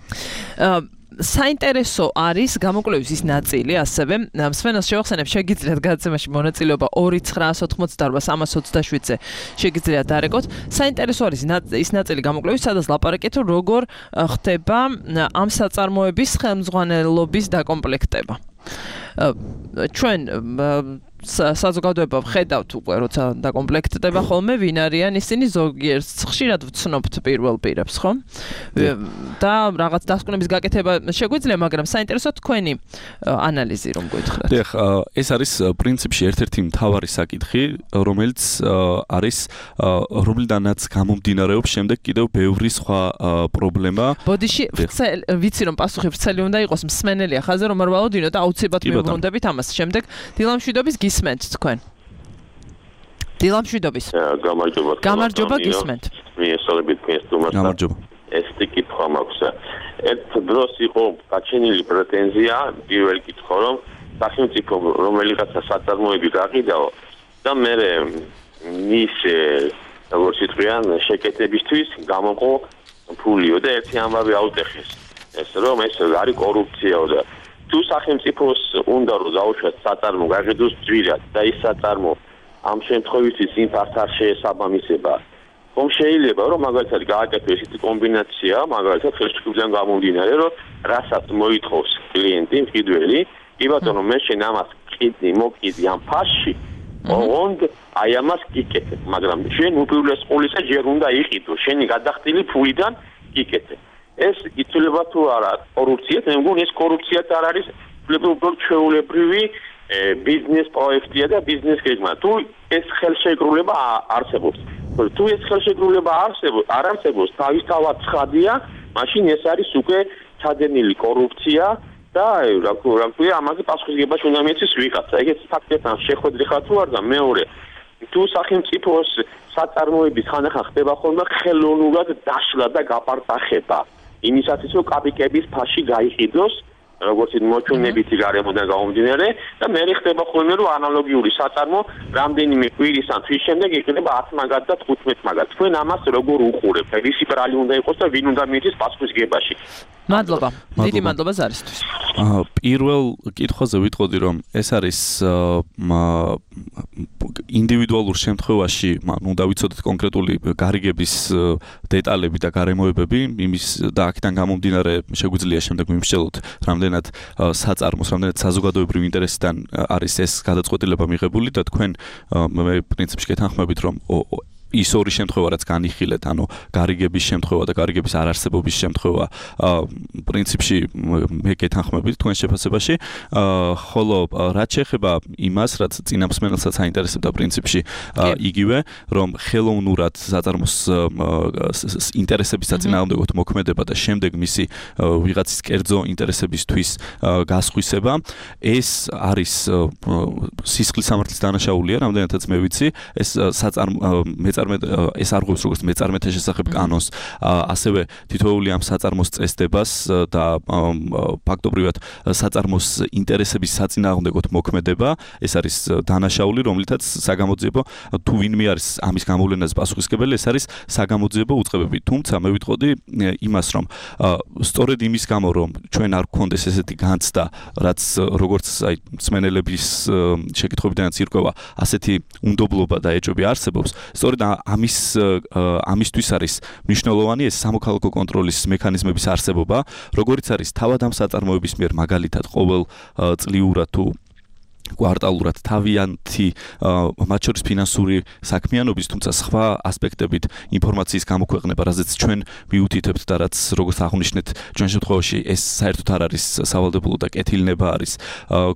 საინტერესო არის გამოკვლევის ის ნაწილი, ასევე მსმენელს შევახსენებ, შეგიძლიათ გადაცემაში მონაწილეობა 2-988-327-ზე შეგიძლიათ დარეკოთ. საინტერესო არის ის ნაწილი გამოკვლევის, სადაც ლაპარაკით, როგორ ხდება ამ საწარმოების ხელმძღვანელობის დაკომპლექტება. ჩვენ საზოგადოება ვხედავთ უკვე, როცა დაკომპლექტდება ხოლმე, ვინ არიან ისინი, ზოგიერთ ხშირად ვცნობთ პირველ პირებს, ხო? და რაღაც დასკვნების გაკეთება შეგვიძლია, მაგრამ საინტერესო თქვენი ანალიზი რომ გითხრათ. დიახ, ეს არის პრინციპში ერთ-ერთი მთავარი საკითხი, რომელიც არის რომლიდანაც გამომდინარეობს შემდეგ კიდევ ბევრი სხვა პრობლემა. ბოდიში, ვიცი რომ პასუხი ვრცელი უნდა იყოს, მსმენელია ხაზე რომ არ ვალოდინო და აუცილებლად მივუბრუნდებით ამას. შემდეგ დილამშვიდობის გისმენთ თქვენ. დილამშვიდობის. გამარჯობა გისმენთ. მიესალმებით მესტუმარს. გამარჯობა. ეს კითხვა მაქვს. ერთ დროს იყო გაჩენილი პრეტენზია, პირველი კითხვა, რომ სახელმწიფო რომელიღაცა საწარმოები გაყიდაო და მე მის როგორც იტყვიან შეკეთებისთვის გამოყო ფულიო და ერთი ამბავი აუტეხეს. ეს რომ ეს არის კორუფციაო და თუ სახელმწიფოს უნდა რომ დაუშვათ საწარმო გაყიდოს ძვირად და ის საწარმო ამ შემთხვევისთვის იმპართ არ შეესაბამისება ხომ შეიძლება რომ მაგალითად გააკეთოს ესეთი კომბინაცია მაგალითად ხელშეკრულიდან გამომდინარე რომ რასაც მოითხოვს კლიენტი მყიდველი კი ბატონო მე შენ ამას ყიდნი მოკიდი ამ ფასში ოღონდ აი ამას გიკეთებ მაგრამ შენ უპირველეს ყოვლისა ჯერ უნდა იყიდო შენი გადახდილი ფულიდან გიკეთებ ეს იცვლება თუ არა კორუფციას მე მგონი ეს კორუფციაც არ არის უბრალოდ ჩვეულებრივი ბიზნეს პროექტია და ბიზნეს გეგმა თუ ეს ხელშეკრულება არსებობს თუ ეს ხელშეკრულება არ არსებობს თავისთავად ცხადია მაშინ ეს არის უკვე ჩადენილი კორუფცია და რა ქვია ამაზე პასუხისმგებლობა უნდა მიეცეს ვიღაცა ეგეც ფაქტებთან შეხვედრი ხარ თუ არა და მეორე თუ სახელმწიფოს საწარმოების ხანახან ხდება ხოლმე ხელოვნურად დაშლა და გაპარტახება იმისათვის რომ კაპიკების ფასში გაიყიდოს როგორც მოჩვენებითი გარემოდან გამომდინარე და მე ხდება ხოლმე რომ ანალოგიური საწარმო რამდენიმე კვირის ან თვის შემდეგ იყიდება 10 მაგათ და 15 მაგათ თქვენ ამას როგორ უყურებთ ვისი ბრალი უნდა იყოს და ვინ უნდა მიეცეს პასუხისმგებლობაში მადლობა დიდი მადლობა ზარისთვის პირველ კითხვაზე ვიტყოდი რომ ეს არის ინდივიდუალურ შემთხვევაში უნდა ვიცოდეთ კონკრეტული გარიგების დეტალები და გარემოებები იმის და აქედან გამომდინარე შეგვიძლია შემდეგ მიმსჯელოთ რამდენად საწარმოს რამდენად საზოგადოებრივ ინტერესიდან არის ეს გადაწყვეტილება მიღებული და თქვენ მე პრინციპში გეთანხმებით რომ ის ორი შემთხვევა რაც განიხილეთ, ანუ გარიგების შემთხვევა და გარიგების არარსებობის შემთხვევა, პრინციპში მე გეთანხმებით თქვენ შეფასებაში, ხოლო რაც შეეხება იმას, რაც წინამსმენელსაც აინტერესებდა პრინციპში იგივე, რომ ხელოვნურად საწარმოს ინტერესების საწინააღმდეგოდ მოქმედება და შემდეგ მისი ვიღაცის კერძო ინტერესებისთვის გასხვისება, ეს არის სისხლის სამართლის დანაშაულია, რამდენადაც მე ვიცი, ეს ეს არღვევს როგორც მეწარმეთა შესახებ კანონს, ასევე თითოეული ამ საწარმოს წესდებას და ფაქტობრივად საწარმოს ინტერესების საწინააღმდეგოდ მოქმედება, ეს არის დანაშაული, რომლითაც საგამოძიებო თუ ვინმე არის ამის გამოვლენაზე პასუხისმგებელი, ეს არის საგამოძიებო უწყებები. თუმცა მე ვიტყოდი იმას, რომ სწორედ იმის გამო, რომ ჩვენ არ გქონდეს ესეთი განცდა, რაც როგორც აი მსმენელების შეკითხვებიდანაც ირკვევა, ასეთი უნდობლობა და ეჭვები არსებობს. სწორედ ამისთვის არის მნიშვნელოვანი ეს სამოქალაქო კონტროლის მექანიზმების არსებობა, როგორიც არის თავად ამ საწარმოების მიერ მაგალითად ყოველ წლიურად თუ კვარტალურად თავიანთი მათ შორის ფინანსური საქმიანობის, თუმცა სხვა ასპექტებით ინფორმაციის გამოქვეყნება, რაზეც ჩვენ მიუთითებთ და რაც როგორც აღნიშნეთ, ჩვენ შემთხვევაში ეს საერთოდ არ არის სავალდებულო და კეთილნება არის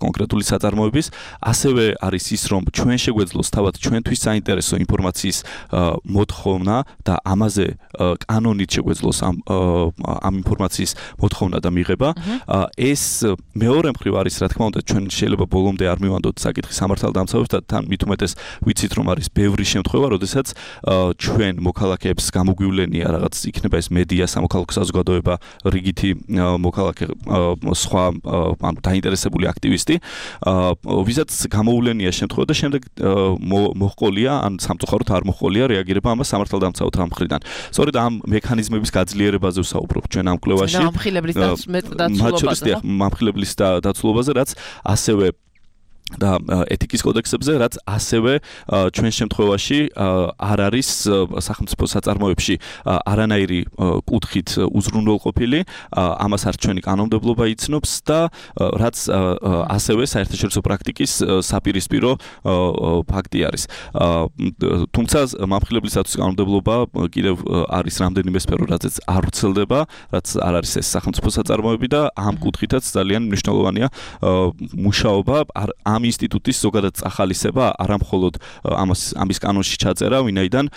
კონკრეტული საწარმოების, ასევე არის ის, რომ ჩვენ შეგვეძლოს თავად ჩვენთვის საინტერესო ინფორმაციის მოთხოვნა და ამაზე კანონით შეგვეძლოს ამ ინფორმაციის მოთხოვნა და მიღება. ეს მეორე მხრივ არის, რა თქმა უნდა, ჩვენ შეიძლება ბოლომდე არ მივანდოთ საკითხის სამართალდამცავებს და თან მით უმეტეს ვიცით რომ არის ბევრი შემთხვევა, როდესაც ჩვენ მოქალაქეებს გამოგვივლენია რაღაც იქნება ეს მედია, სამოქალაქო საზოგადოება, რიგითი მოქალაქე სხვა დაინტერესებული აქტივისტი, ვისაც გამოუვლენია შემთხვევა და შემდეგ მოჰყოლია ან სამწუხაროდ არ მოჰყოლია რეაგირება ამას სამართალდამცავთა მხრიდან. სწორედ ამ მექანიზმების გაძლიერებაზე ვსაუბრობ ჩვენ ამ კვლევაში. მამხილებლის დაცულობაზე, რაც ასევე და ეთიკის კოდექსებზე, რაც ასევე ჩვენ შემთხვევაში არ არის სახელმწიფო საწარმოებში არანაირი კუთხით უზრუნველყოფილი, ამას არც ჩვენი კანონმდებლობა იცნობს და რაც ასევე საერთაშორისო პრაქტიკის საპირისპირო ფაქტი არის. თუმცა მამხილებლის დაცვის კანონმდებლობა კიდევ არის რამდენიმე სფერო, რაზეც არ ვრცელდება, რაც არ არის ეს სახელმწიფო საწარმოები და ამ კუთხითაც ძალიან მნიშვნელოვანია მუშაობა ამ ინსტიტუტის ზოგადად ახალისება, არა მხოლოდ ამის კანონში ჩაწერა, ვინაიდან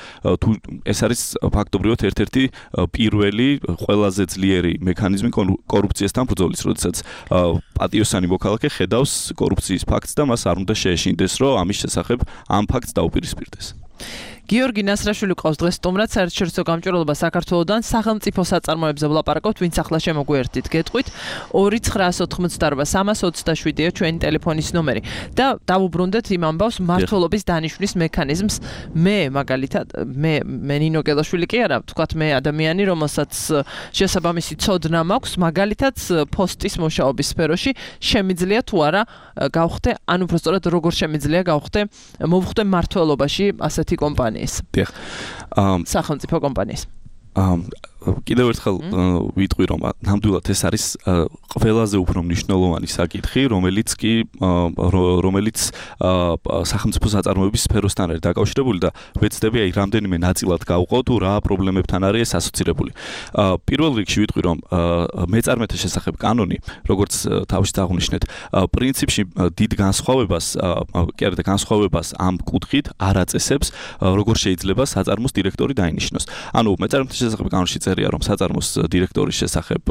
თუ ეს არის ფაქტობრივად ერთ-ერთი პირველი ყველაზე ძლიერი მექანიზმი კორუფციასთან ბრძოლის, როდესაც პატიოსანი მოქალაქე ხედავს კორუფციის ფაქტს და მას არ უნდა შეეშინდეს, რომ ამის შესახებ ამ ფაქტს დაუპირისპირდეს. გიორგი ნასრაშვილი ყავს დღეს სტუმრად საერთაშორისო გამჭვირვალობა საქართველოსთან სახელმწიფო საწარმოებზე ვლაპარაკობთ, ვინც ახლა შემოგვიერთდით გეტყვით 2988327-ია ჩვენი ტელეფონის ნომერი და დავუბრუნდეთ იმ ამბავს მმართველობის დანიშვნის მექანიზმს. მე მაგალითად მე ნინო გელაშვილი კი არა, ვთქვათ მე ადამიანი, რომელსაც შესაბამისი ცოდნა მაქვს, მაგალითად პოსტის მუშაობის სფეროში შემიძლია თუ არა გავხდე, ანუ უბრალოდ როგორ შემიძლია გავხდე მოვხდე მმართველობაში ასეთი კომპანიის. დიახ. სახელმწიფო კომპანიის. კიდევ ერთხელ ვიტყვი, რომ ნამდვილად ეს არის ყველაზე უფრო მნიშვნელოვანი საკითხი, რომელიც სახელმწიფო საწარმოების სფეროსთან არის დაკავშირებული და ვეცდები აი რამდენიმე ნაწილად გავყო თუ რა პრობლემებთან არის ეს ასოცირებული. პირველ რიგში ვიტყვი, რომ მეწარმეთა შესახებ კანონი, როგორც თავში აღნიშნეთ, პრინციპში დიდ განსხვავებას ამ კუთხით არ აწესებს, როგორ შეიძლება საწარმოს დირექტორი დაინიშნოს. ანუ მეწარმეთა შესახებ კანონში რომ საწარმოს დირექტორის შესახებ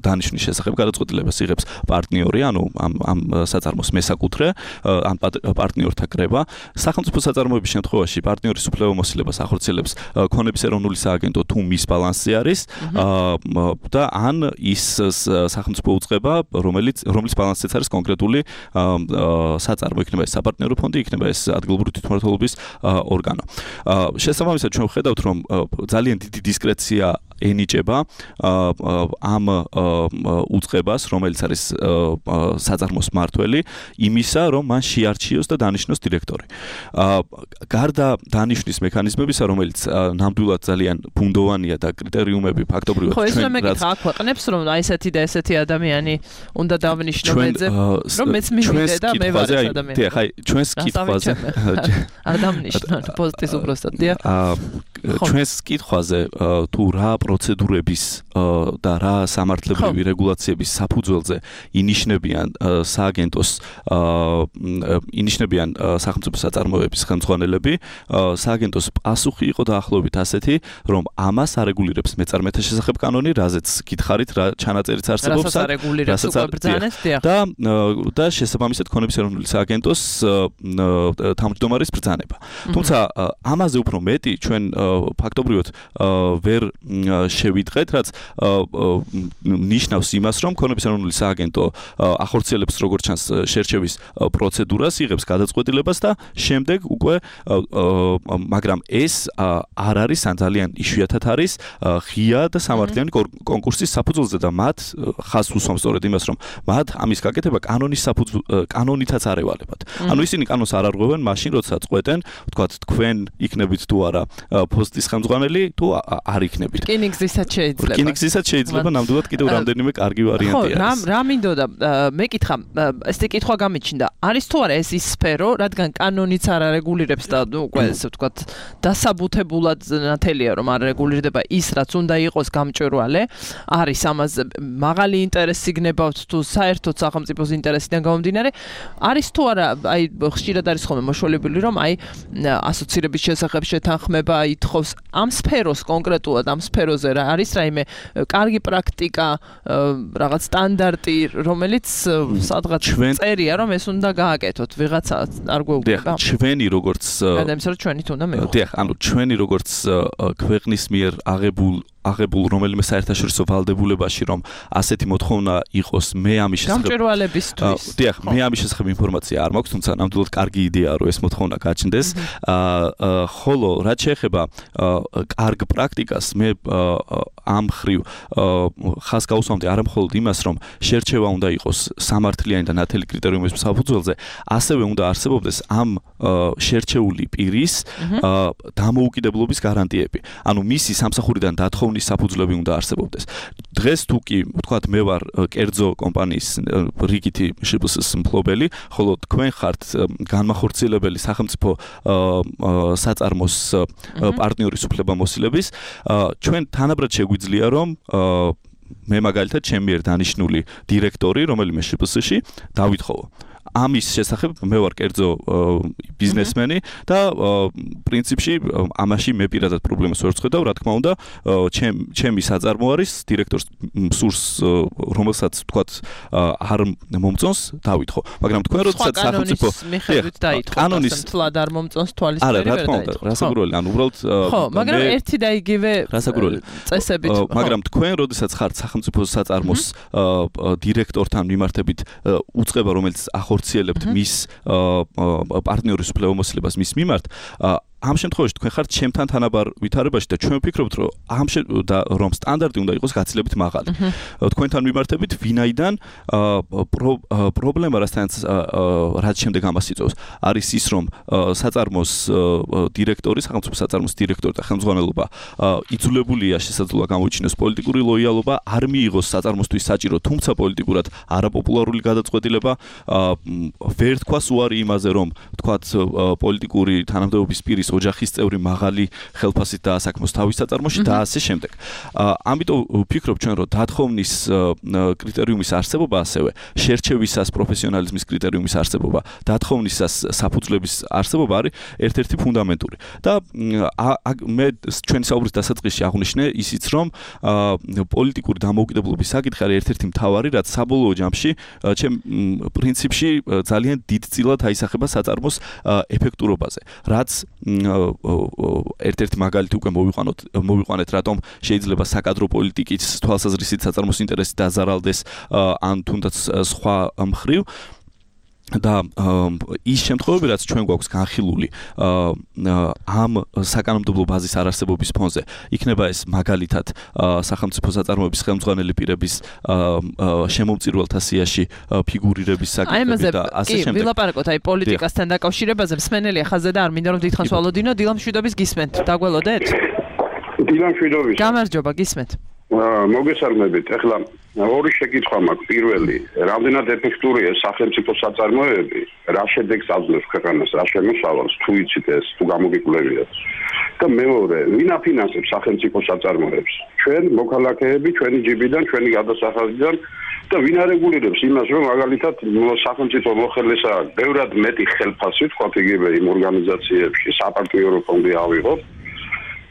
დანიშნვის შესახებ გადაწყვეტილებას იღებს პარტნიორი, ანუ ამ საწარმოს მესაკუთრე, ან პარტნიორთა კრება. სახელმწიფო საწარმოების შემთხვევაში პარტნიორის უფლებამოსილებას ახორციელებს ქონების ეროვნული სააგენტო თუ მის ბალანსი არის და ან ის სახელმწიფო უწყება, რომლის ბალანსიც არის კონკრეტული საწარმო, იქნება ეს საპარტნიორო ფონდი, იქნება ეს ადგილობრივი თვითმმართველობის ორგანო. შესაბამისად ჩვენ ვხედავთ, რომ ძალიან დიდი დისკრეცია ენიჭება ამ უწყებას, რომელიც არის საწარმოს მმართველი, იმისა, რომ მან შეარჩიოს და დანიშნოს დირექტორი. გარდა დანიშნვის მექანიზმებისა, რომელიც ნამდვილად ძალიან ბუნდოვანია და კრიტერიუმები ფაქტობრივად ჩვენ ხო, ეს მეკითხა აქვეყნებს, რომ აი ესეთი და ესეთი ადამიანი უნდა დავნიშნო მეძებ, რომ მეც მივიდე და მე ვარ ეს ადამიანი. დიახ, აი ჩვენს კითხვაზე არ დავნიშნო პოსტის უბრალოდ, დიახ. ჩვენს კითხვაზე თუ რა პროცედურების და რა სამართლებრივი რეგულაციების საფუძველზე ინიშნებიან სააგენტოს ინიშნებიან სახელმწიფო საწარმოების ხელმძღვანელები, სააგენტოს პასუხი იყო დაახლოებით ասეთი, რომ ამას არეგულირებს მეწარმეთა შესახებ კანონი, რაზეც გითხარით, რა ჩანაწერიც არსებობს, რასაც არეგულირებს უკვე ბრძანეს, და შესაბამისად ქონების ეროვნული სააგენტოს თავმჯდომარის ბრძანება. თუმცა ამაზე უფრო მეტი ჩვენ ფაქტობრივად ვერ შევიდღეთ, რაც ნიშნავს იმას, რომ ქონების ეროვნული სააგენტო ახორციელებს როგორც ჩანს შერჩევის პროცედურას, იღებს გადაწყვეტილებას და შემდეგ უკვე მაგრამ ეს არ არის ან ძალიან იშვიათად არის ღია და სამართლიანი კონკურსის საფუძველზე და მათ ხაზს უსვამს სწორედ იმას, რომ მათ ამის გაკეთება კანონითაც არ ევალებათ. ანუ ისინი კანონს არ არღვევენ მაშინ, როცა წყვეტენ, ვთქვათ, თქვენ იქნებით თუ არა პოსტის ხელმძღვანელი თუ არ იქნებით. რკინიგზისაც შეიძლება. რკინიგზისაც შეიძლება ნამდვილად კიდევ რამდენიმე კარგი ვარიანტი არის. ხო, რა მინდოდა მეკითხა, ესეთი კითხვა გამიჩნდა. არის თუ არა ეს ის სფერო, რადგან კანონიც არ არეგულირებს და უკვე ესე ვთქვათ, დასაბუთებულად ნათელია, რომ არ რეგულირდება ის, რაც უნდა იყოს გამჭვირვალე, არის ამაზე მაღალი ინტერესი გნებავთ თუ საერთოდ სახელმწიფოს ინტერესიდან გამომდინარე, არის თუ არა, აი ხშირად არის ხოლმე მოშველებული, რომ აი ასოცირების შესახებ შეთანხმება ითხოვს ამ სფეროს კონკრეტულად ამ სფეროზე რა არის რაიმე კარგი პრაქტიკა, რაღაც სტანდარტი, რომელიც სადღაც წერია, რომ ეს უნდა გააკეთოთ, ვიღაცა არ გვეუბნება. ჩვენი როგორც გადამისა რომ ჩვენით უნდა მივხვდეთ. დიახ, ანუ ჩვენი როგორც ქვეყნის მიერ აღებულ რომელიმე საერთაშორისო ვალდებულებაში, რომ ასეთი მოთხოვნა იყოს, მე ამის შესახებ გამჭვირვალებისთვის. დიახ, მე ამის შესახებ ინფორმაცია არ მაქვს, თუმცა ნამდვილად კარგი იდეაა, რომ ეს მოთხოვნა გაჩნდეს. ხოლო რაც შეეხება კარგ პრაქტიკას, მე ამ ხრივ ხაზს გავუსვამდი არა მხოლოდ იმას, რომ შერჩევა უნდა იყოს სამართლიანი და ნათელი კრიტერიუმების საფუძველზე, ასევე უნდა არსებობდეს ამ შერჩეული პირის დამოუკიდებლობის გარანტიები. ანუ მისი სამსახურიდან დათხოვნის საფუძვლები უნდა არსებობდეს. დღეს თუ კი ვთქვათ, მე ვარ კერძო კომპანიის რიგითი შპს-ის მფლობელი, ხოლო თქვენ ხართ განმახორციელებელი სახელმწიფო საწარმოს პარტნიორის უფლებამოსილების, ჩვენ თანაბრად შეგვიძლია, რომ მე მაგალითად ჩემი მიერ დანიშნული დირექტორი, რომელიმე შპს-ში დავითხოვო. ამის შესახებ მე ვარ კერძო ბიზნესმენი და პრინციპში ამაში მე პირადად პრობლემას ვერ ვხედავ, რა თქმა უნდა, ჩემი საწარმო არის დირექტორს სურს რომელსაც თქვათ არ მომწონს დავითხოვ, მაგრამ თქვენ როდესაც სახელმწიფო კანონის თლად არ მომწონს თვალისწინებია არა, რა თქმა უნდა, რასაკვირველი, ანუ უბრალოდ ხო, მაგრამ ერთი და იგივე წესებით მაგრამ თქვენ როდესაც ხართ სახელმწიფო საწარმოს დირექტორთან მიმართებით უწყება, რომელიც ახორციელებთ მის პარტნიორის უფლებამოსილებას მის მიმართ, ამ შემთხვევაში თქვენ ხართ ჩემთან თანაბარ ვითარებაში და ჩვენ ვფიქრობთ, რომ რომ სტანდარტი უნდა იყოს გაცილებით მაღალი. თქვენთან მიმართებით ვინაიდან პრობლემა რასაც შემდეგ ამას იწვევს, არის ის, რომ საწარმოს დირექტორი, სახელმწიფო საწარმოს დირექტორი და ხელმძღვანელობა იძულებულია შესაძლოა გამოიჩინოს პოლიტიკური ლოიალობა, არ მიიღოს საწარმოსთვის საჭირო, თუმცა პოლიტიკურად არაპოპულარული გადაწყვეტილება, ვერ თქვას უარი იმაზე, რომ თქვათ პოლიტიკური თანამდებობის პირის ოჯახის წევრი მაღალი ხელფასით დაასაქმოს თავის საწარმოში და ასე შემდეგ. ამიტომ ვფიქრობ ჩვენ, რომ დათხოვნის კრიტერიუმის არსებობა, ასევე შერჩევისას პროფესიონალიზმის კრიტერიუმის არსებობა, დათხოვნისას საფუძვლების არსებობა არის ერთ-ერთი ფუნდამენტური. და მე ჩვენი საუბრის დასაწყისში აღვნიშნე ისიც, რომ პოლიტიკური დამოუკიდებლობის საკითხი არის ერთ-ერთი მთავარი, რაც საბოლოო ჯამში ჩემ პრინციპში ძალიან დიდწილად აისახება საწარმოს ეფექტურობაზე, რაც ერთ-ერთი მაგალითი უკვე მოვიყვანეთ, რატომ შეიძლება საკადრო პოლიტიკის თვალსაზრისით საწარმოს ინტერესი დაზარალდეს ან თუნდაც სხვა მხრივ და ის შემთხვევები, რაც ჩვენ გვაქვს განხილული ამ საკანონმდებლო ბაზის არარსებობის ფონზე, იქნება ეს მაგალითად სახელმწიფო საწარმოების ხელმძღვანელი პირების შემომწირველთა სიაში ფიგურირების საკითხები და ასე შემდეგ. ვილაპარაკოთ აი პოლიტიკასთან დაკავშირებაზე, მსმენელია ხაზზე და არ მინდა რომ დიდხანს ვალოდინო, დილამ შვიდობის გისმენთ. დაგველოდეთ? დილამ შვიდობის. გამარჯობა, გისმენთ. მოგესალმებით. ეხლა ორი შეკითხვა მაქვს. პირველი, რამდენად ეფექტურია სახელმწიფო საწარმოები, რა შედეგს აძლევს ქვეყანას, რა შემოსავალს, თუ იცით ეს, თუ გამოგიკვლევიათ. და მეორე, ვინ აფინანსებს სახელმწიფო საწარმოებს? ჩვენ მოქალაქეები, ჩვენი ჯიბიდან, ჩვენი გადასახადიდან და ვინ არეგულირებს იმას, რომ მაგალითად სახელმწიფო მოხელესა ბევრად მეტი ხელფასი, თქვათ იგივე იმ ორგანიზაციებში, საპარტნიორო ფონდი ავიღოთ.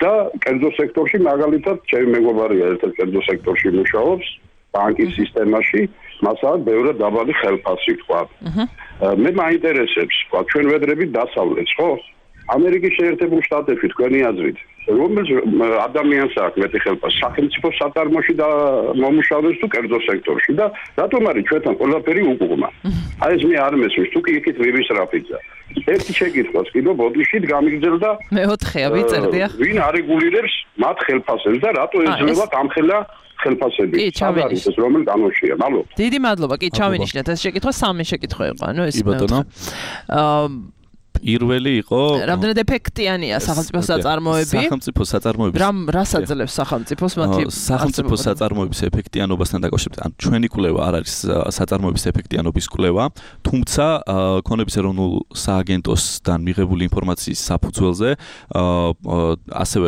და კერძო სექტორში მაგალითად ჩემი მეგობარია ერთ-ერთ კერძო სექტორში მუშაობს ბანკის სისტემაში, მასაა ბევრად დაბალი ხელფასი თქვა. მე მაინტერესებს, თქვა ჩვენ ვედრებით დასავლეთს, ხო? ამერიკის შეერთებულ შტატებში თქვენი აზრით, რომელ ადამიანს აქვს მეტი ხელფასი, სახელმწიფო საწარმოში და მომუშავეს თუ კერძო სექტორში და რატომ არის ჩვენთან ყველაფერი უკუღმა? აი ეს მე არ მესმის, თუ კი იქით ვიმისრაფიცა. ერთი შეკითხვას კიდო ბოდიშით გამიგრძელდა მეოთხეა ვიწერდია. ვინ არეგულირებს მათ ხელფასებს და რატო ეძლევა ამხელა ხელფასები? არის ეს რომელ კანონშია? მადლობა. დიდი მადლობა. კი, ჩავინიშნეთ ეს შეკითხვა, სამი შეკითხვა იყო, ანუ ეს პირველი იყო რამდენად ეფექტიანია სახელმწიფო საწარმოები? სახელმწიფო საწარმოების რას აძლევს სახელმწიფოს მათი სახელმწიფო საწარმოების ეფექტიანობასთან დაკავშირებით? ან ჩვენი კვლევა არ არის საწარმოების ეფექტიანობის კვლევა, თუმცა ქონების ეროვნულ სააგენტოსთან მიღებული ინფორმაციის საფუძველზე ასევე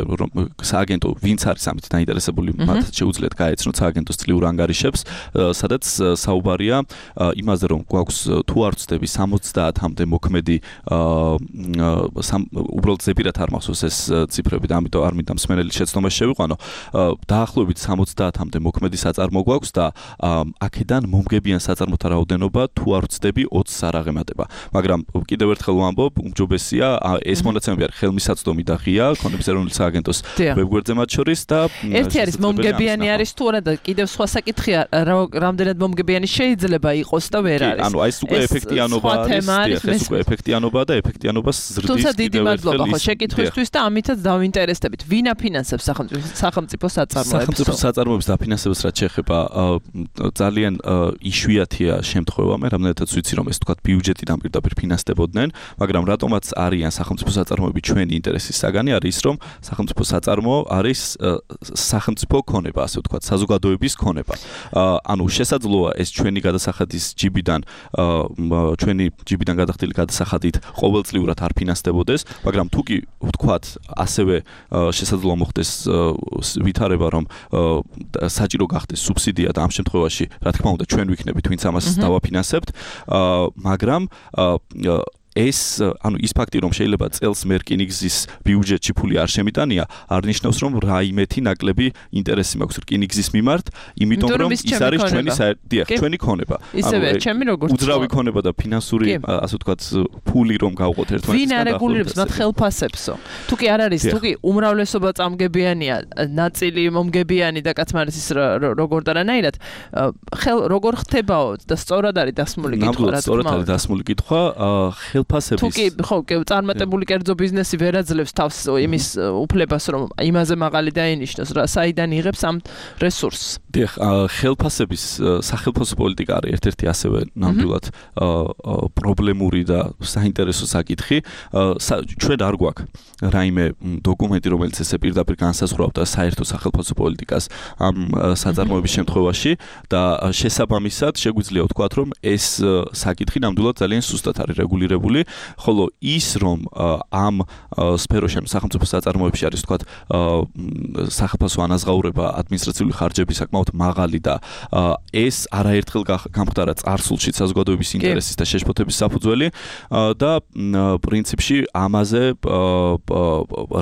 სააგენტო ვინც არის ამით დაინტერესებული, მათ შეუძლიათ გაეცნოთ სააგენტოს წლიურ ანგარიშებს, სადაც საუბარია იმაზე, რომ გვაქვს თუ არ ვცდები 70-მდე მოქმედი უბრალოდ ზეპირად არ მახსოვს ეს ციფრები და ამიტომ არ მინდა მსმენელი შეცდომაში შევიყვანო. დაახლოებით 70-მდე მოქმედი საწარმო გვაქვს და აქედან მომგებიან საწარმოთა რაოდენობა თუ არ ვცდები 20-ს არ აღემატება. მაგრამ კიდევ ერთხელ ვამბობ, უმჯობესია ეს მონაცემები არის ხელმისაწვდომი და ღია ქონების ეროვნულ სააგენტოს ვებგვერდზე მათ შორის და ერთი არის მომგებიანი არის თუ არა და კიდევ სხვა საკითხია რამდენად მომგებიანი შეიძლება იყოს და ვერ არის. ანუ ეს უკვე ეფექტიანობა არის, ეს უკვე ეფექტიანობა და ეფექტიანობას ზრდის. თუმცა დიდი მადლობა ხო შეკითხვისთვის და ამითაც დავინტერესდებით. ვინ აფინანსებს სახელმწიფო საწარმოებს? სახელმწიფო საწარმოებს დაფინანსებას რაც შეეხება ძალიან იშვიათია შემთხვევა, მე რამდენადაც ვიცი რომ ეს თქვა ბიუჯეტიდან პირდაპირ ფინანსდებოდნენ, მაგრამ რატომაც არიან სახელმწიფო საწარმოები ჩვენი ინტერესის საგანი არის ის რომ სახელმწიფო საწარმო არის სახელმწიფო ქონება, ასე ვთქვათ, საზოგადოების ქონება. ანუ შესაძლოა ეს ჩვენი გადასახადის ჯიბიდან ჩვენი ჯიბიდან გადახდილი გადასახადით ყოველწლიურად არ ფინანსდებოდეს, მაგრამ თუ კი ვთქვათ, ასევე შესაძლოა მოხდეს ვითარება, რომ საჭირო გახდეს სუბსიდია და ამ შემთხვევაში, რა თქმა უნდა, ჩვენ ვიქნებით, ვინც ამას დავაფინანსებთ, მაგრამ ეს ანუ ის ფაქტი რომ შეიძლება წელს მერკინიგზის ბიუჯეტში ფული არ შემიტანია არ ნიშნავს რომ რაიმეთი ნაკლები ინტერესი მაქვს რკინიგზის მიმართ იმიტომ რომ ის არის ჩვენი ქონება ისევე ჩემი როგორც უძრავი ქონება და ფინანსური ასე ვთქვათ ფული რომ გავყოთ ერთმანეთს ვინ არეგულირებს მათ ხელფასებსო თუ კი არ არის თუ კი უმრავლესობა წამგებიანია ნაწილი მომგებიანი და კაცმარისის როგორ და რანაირად როგორ ხდებაო და სწორად არის დასმული კითხვა რა თქმა უნდა სწორად არის დასმული კითხვა თუ კი ხო წარმატებული კერძო ბიზნესი ვერ აძლევს თავს იმის უფლებას რომ იმაზე მაღალი დაენიშნოს რა საიდან იღებს ამ რესურსს დიახ ხელფასების სახელმწიფო პოლიტიკა არის ერთ-ერთი ასევე ნამდვილად პრობლემური და საინტერესო საკითხი ჩვენ არ გვაქვს რაიმე დოკუმენტი რომელიც ესე პირდაპირ განსაზღვრავდა საერთო სახელმწიფო პოლიტიკას ამ საწარმოების შემთხვევაში და შესაბამისად შეგვიძლია ვთქვათ რომ ეს საკითხი ნამდვილად ძალიან სუსტად არის რეგულირებული ხოლო ის რომ ამ სფეროში სახელმწიფო საწარმოებში არის თქვათ სახელმწიფო ანაზღაურება ადმინისტრაციული ხარჯები საკმაოდ მაღალი და ეს არაერთხელ გამხდარა წარსულში საზოგადოების ინტერესის და შეშფოთების საფუძველი და პრინციპში ამაზე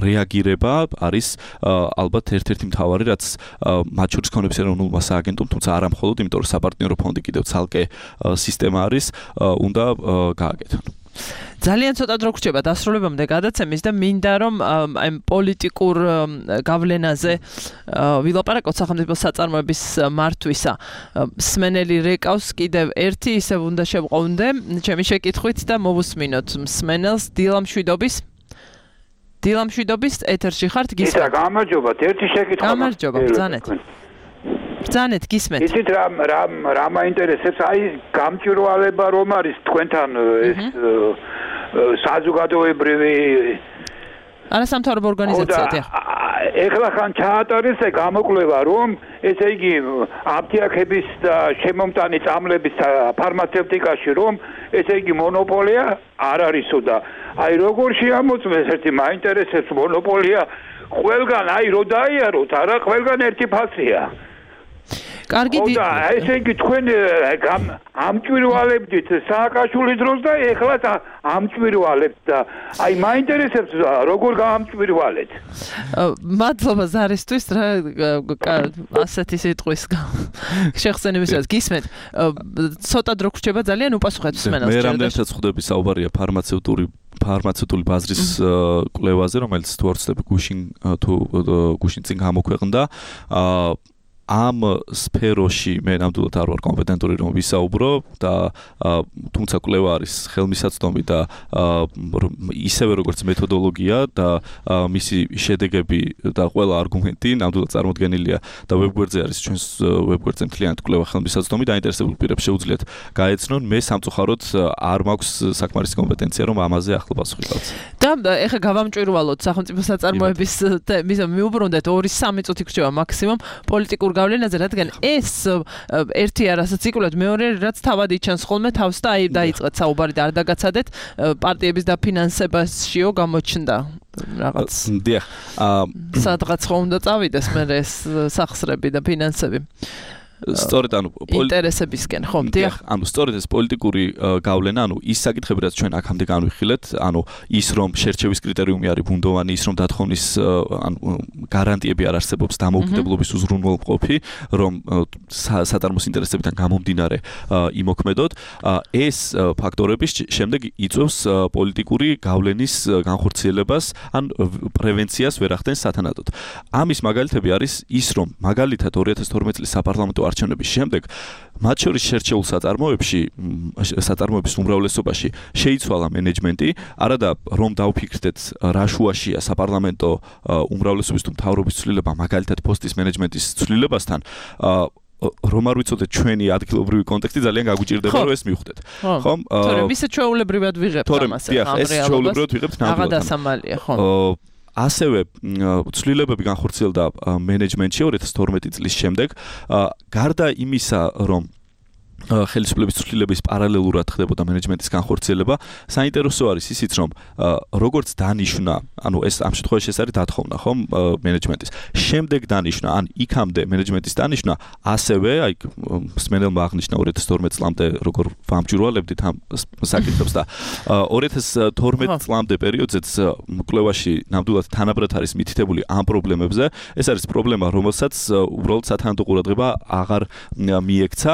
რეაგირება არის ალბათ ერთ-ერთი მთავარი რაც მათ შორის ქონების ეროვნულმა სააგენტომ თუმცა არა მხოლოდ იმიტომ რომ საპარტნიორო ფონდი კიდევ ცალკე სისტემა არის უნდა გააკეთონ ძალიან ცოტა დრო გრჩება დასრულებამდე გადაცემის და მინდა რომ აი პოლიტიკურ გავლენაზე ვილაპარაკოთ სახელმწიფო საწარმოების მართვისა მსმენელი რეკავს კიდევ ერთი ისევ უნდა შევყოვნდე ჩემი შეკითხვით და მოვუსმინოთ მსმენელს დილამშვიდობის ეთერში ხართ გისმენთ გამარჯობათ ერთი შეკითხვა გამარჯობა ბრძანეთ გისმენთ იცით რა მაინტერესებს აი გამჭვირვალება რომ არის თქვენთან ეს საზოგადოებრივი არასამთავრობო ორგანიზაცია ეხლა ხან ჩაატარეს გამოკვლევა რომ ესე იგი აპტიაქების და შემომტანი წამლების ფარმაცევტიკაში რომ ესე იგი მონოპოლია არ არისო და აი როგორ შეამოწმეს ერთი მაინტერესებს მონოპოლია ყველგან აი რო დაიაროთ არა ყველგან ერთი ფასია კარგი და ესე იგი თქვენ ამჭვირვალებდით სააკაშვილის დროს და ეხლა ამჭვირვალებთ და აი მაინტერესებს როგორ გაამჭვირვალეთ მადლობა ზარისთვის რა ასეთი სიტყვის შეხსენებისას გისმენთ ცოტა დრო გრჩება ძალიან უპასუხეთ მსმენელს მე რამდენადაც ხვდები საუბარია ფარმაცევტული ბაზრის კვლევაზე რომელიც თუ არ ვცდები გუშინ წინ გამოქვეყნდა ამ სფეროში მე ნამდვილად არ ვარ კომპეტენტური რომ ვისაუბრო და თუმცა კვლევა არის ხელმისაწვდომი და ისევე როგორც მეთოდოლოგია და მისი შედეგები და ყველა არგუმენტი ნამდვილად წარმოდგენილია და ვებგვერდზე არის ჩვენს ვებგვერდზე მთლიანად კვლევა ხელმისაწვდომი დაინტერესებულ პირებს შეუძლიათ გაეცნონ მე სამწუხაროდ არ მაქვს საკმარისი კომპეტენცია რომ ამაზე ახლა პასუხი გავცე და ეხლა გავამჭვირვალოთ სახელმწიფო საწარმოების მიუბრუნდეთ 2-3 წუთი გრჩება მაქსიმუმ პოლიტიკურ გავლენაზე, რადგან ეს ერთი არასაც იკვლევთ, მეორე რაც თავად იჩენს ხოლმე თავს და აი დაიწყეთ საუბარი და არ დაგაცადეთ პარტიების დაფინანსებაშიო გამოჩნდა რაღაც. დიახ. სადღაც ხომ უნდა წავიდეს მე ეს სახსრები და ფინანსები. სწორედ ანუ ინტერესებისკენ ხომ დიახ ანუ სწორედ ეს პოლიტიკური გავლენა ანუ ის საკითხები რაც ჩვენ აქამდე განვიხილეთ ანუ ის რომ შერჩევის კრიტერიუმი არის ბუნდოვანი ის რომ დათხოვნის ანუ გარანტიები არ არსებობს დამოუკიდებლობის უზრუნველყოფი რომ საწარმოს ინტერესებიდან გამომდინარე იმოქმედოთ ეს ფაქტორები შემდეგ იწვევს პოლიტიკური გავლენის განხორციელებას ან პრევენციას ვერ ახდენს სათანადოდ ამის მაგალითები არის ის რომ მაგალითად 2012 წლის საპარლამენტო არჩევნების შემდეგ მათ შორის შერჩეულ საწარმოების უმრავლესობაში შეიცვალა მენეჯმენტი, არადა რომ დავფიქრდეთ რა შუაშია საპარლამენტო უმრავლესობის თუ მთავრობის ცვლილება მაგალითად პოსტის მენეჯმენტის ცვლილებასთან რომ არ ვიცოდეთ ჩვენი ადგილობრივი კონტექსტი ძალიან გაგვიჭირდება რომ ეს მივხვდეთ. ხომ? თორემ ისე ჩვეულებრივად ვიღებთ ამას ახლა ჩვეულებრივად ვიღებთ ნამდვილად. აღადასამალია, ხო? ასევე ცვლილებები განხორციელდა მენეჯმენტში 2012 წლის შემდეგ გარდა იმისა რომ ხელისუფლების ცვლილების პარალელურად ხდებოდა მენეჯმენტის განხორციელება. საინტერესო არის ისიც, რომ როგორც დანიშნა, ანუ ეს ამ შემთხვევაში ეს არის დათხოვნა, ხომ, მენეჯმენტის. შემდეგ დანიშნა, ან იქამდე მენეჯმენტის დანიშნა, ასევე, აი, სმენელმა აღნიშნა 2012 წლამდე როგორ ვამჯურვალებდით ამ საკითხებს და 2012 წლამდე პერიოდზეც კვლევაში ნამდვილად თანაბრად არის მითითებული ამ პრობლემებზე. ეს არის პრობლემა, რომელსაც უბრალოდ სათანადო ყურადღება აღარ მიექცა.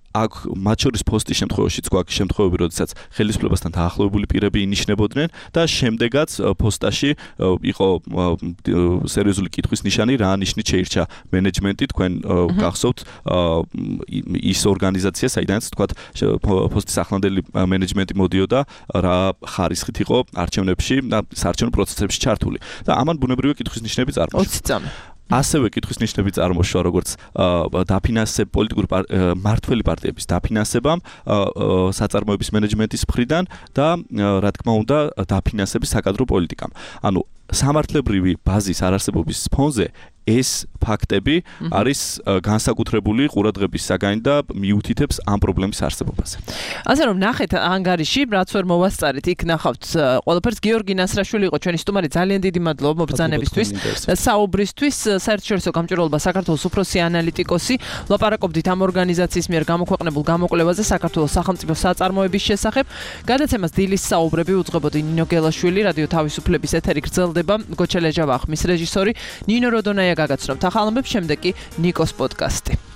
აქ მათ შორის ფოსტის შემთხვევაშიც გვაქვს შემთხვევები, როდესაც ხელისუფლებასთან დაახლოებული პირები ინიშნებოდნენ და შემდეგაც პოსტაში იყო სერიოზული კითხვის ნიშანი, რა ნიშნით შეირჩა მენეჯმენტი, თქვენ გახსოვთ ის ორგანიზაცია, საიდანაც თქვათ პოსტის ახლანდელი მენეჯმენტი მოდიოდა, რა ხარისხით იყო არჩევნებში და საარჩევნო პროცესებში ჩართული. და ამან ბუნებრივი კითხვის ნიშნები წარმოშვა. 20 წამი. ასევე კითხვის ნიშნები წარმოშვა, როგორც პოლიტიკური მართველი პარტიების დაფინანსებამ საწარმოების მენეჯმენტის მხრიდან და რა თქმა უნდა დაფინანსების საკადრო პოლიტიკამ. ანუ სამართლებრივი ბაზის არარსებობის ფონზე ეს ფაქტები არის განსაკუთრებული ყურადღების საგანი და მიუთითებს ამ პრობლემის არსებობაზე. ასე რომ ნახეთ ანგარიში, რაც ვერ მოვასწარით, იქ ნახავთ ყველაფერს. გიორგი ნასრაშვილი იყო ჩვენი სტუმარი, ძალიან დიდი მადლობა მობრძანებისთვის და საუბრისთვის. საერთაშორისო გამჭვირვალობა საქართველოს უფროსი ანალიტიკოსი, ლაპარაკობდით ამ ორგანიზაციის მიერ გამოქვეყნებულ გამოკვლევაზე საქართველოს სახელმწიფო საწარმოების შესახებ. გადაცემას დილის საუბრები უძღვებოდი ნინო გელაშვილი, რადიო თავისუფლების ეთერი გრძელდება. გოჩა ლეჟავა ხმის რეჟისორი, ნინო როდონაია გაგაცნობთ ახალ ამბებს, შემდეგ კი ნიკოს პოდკასტი.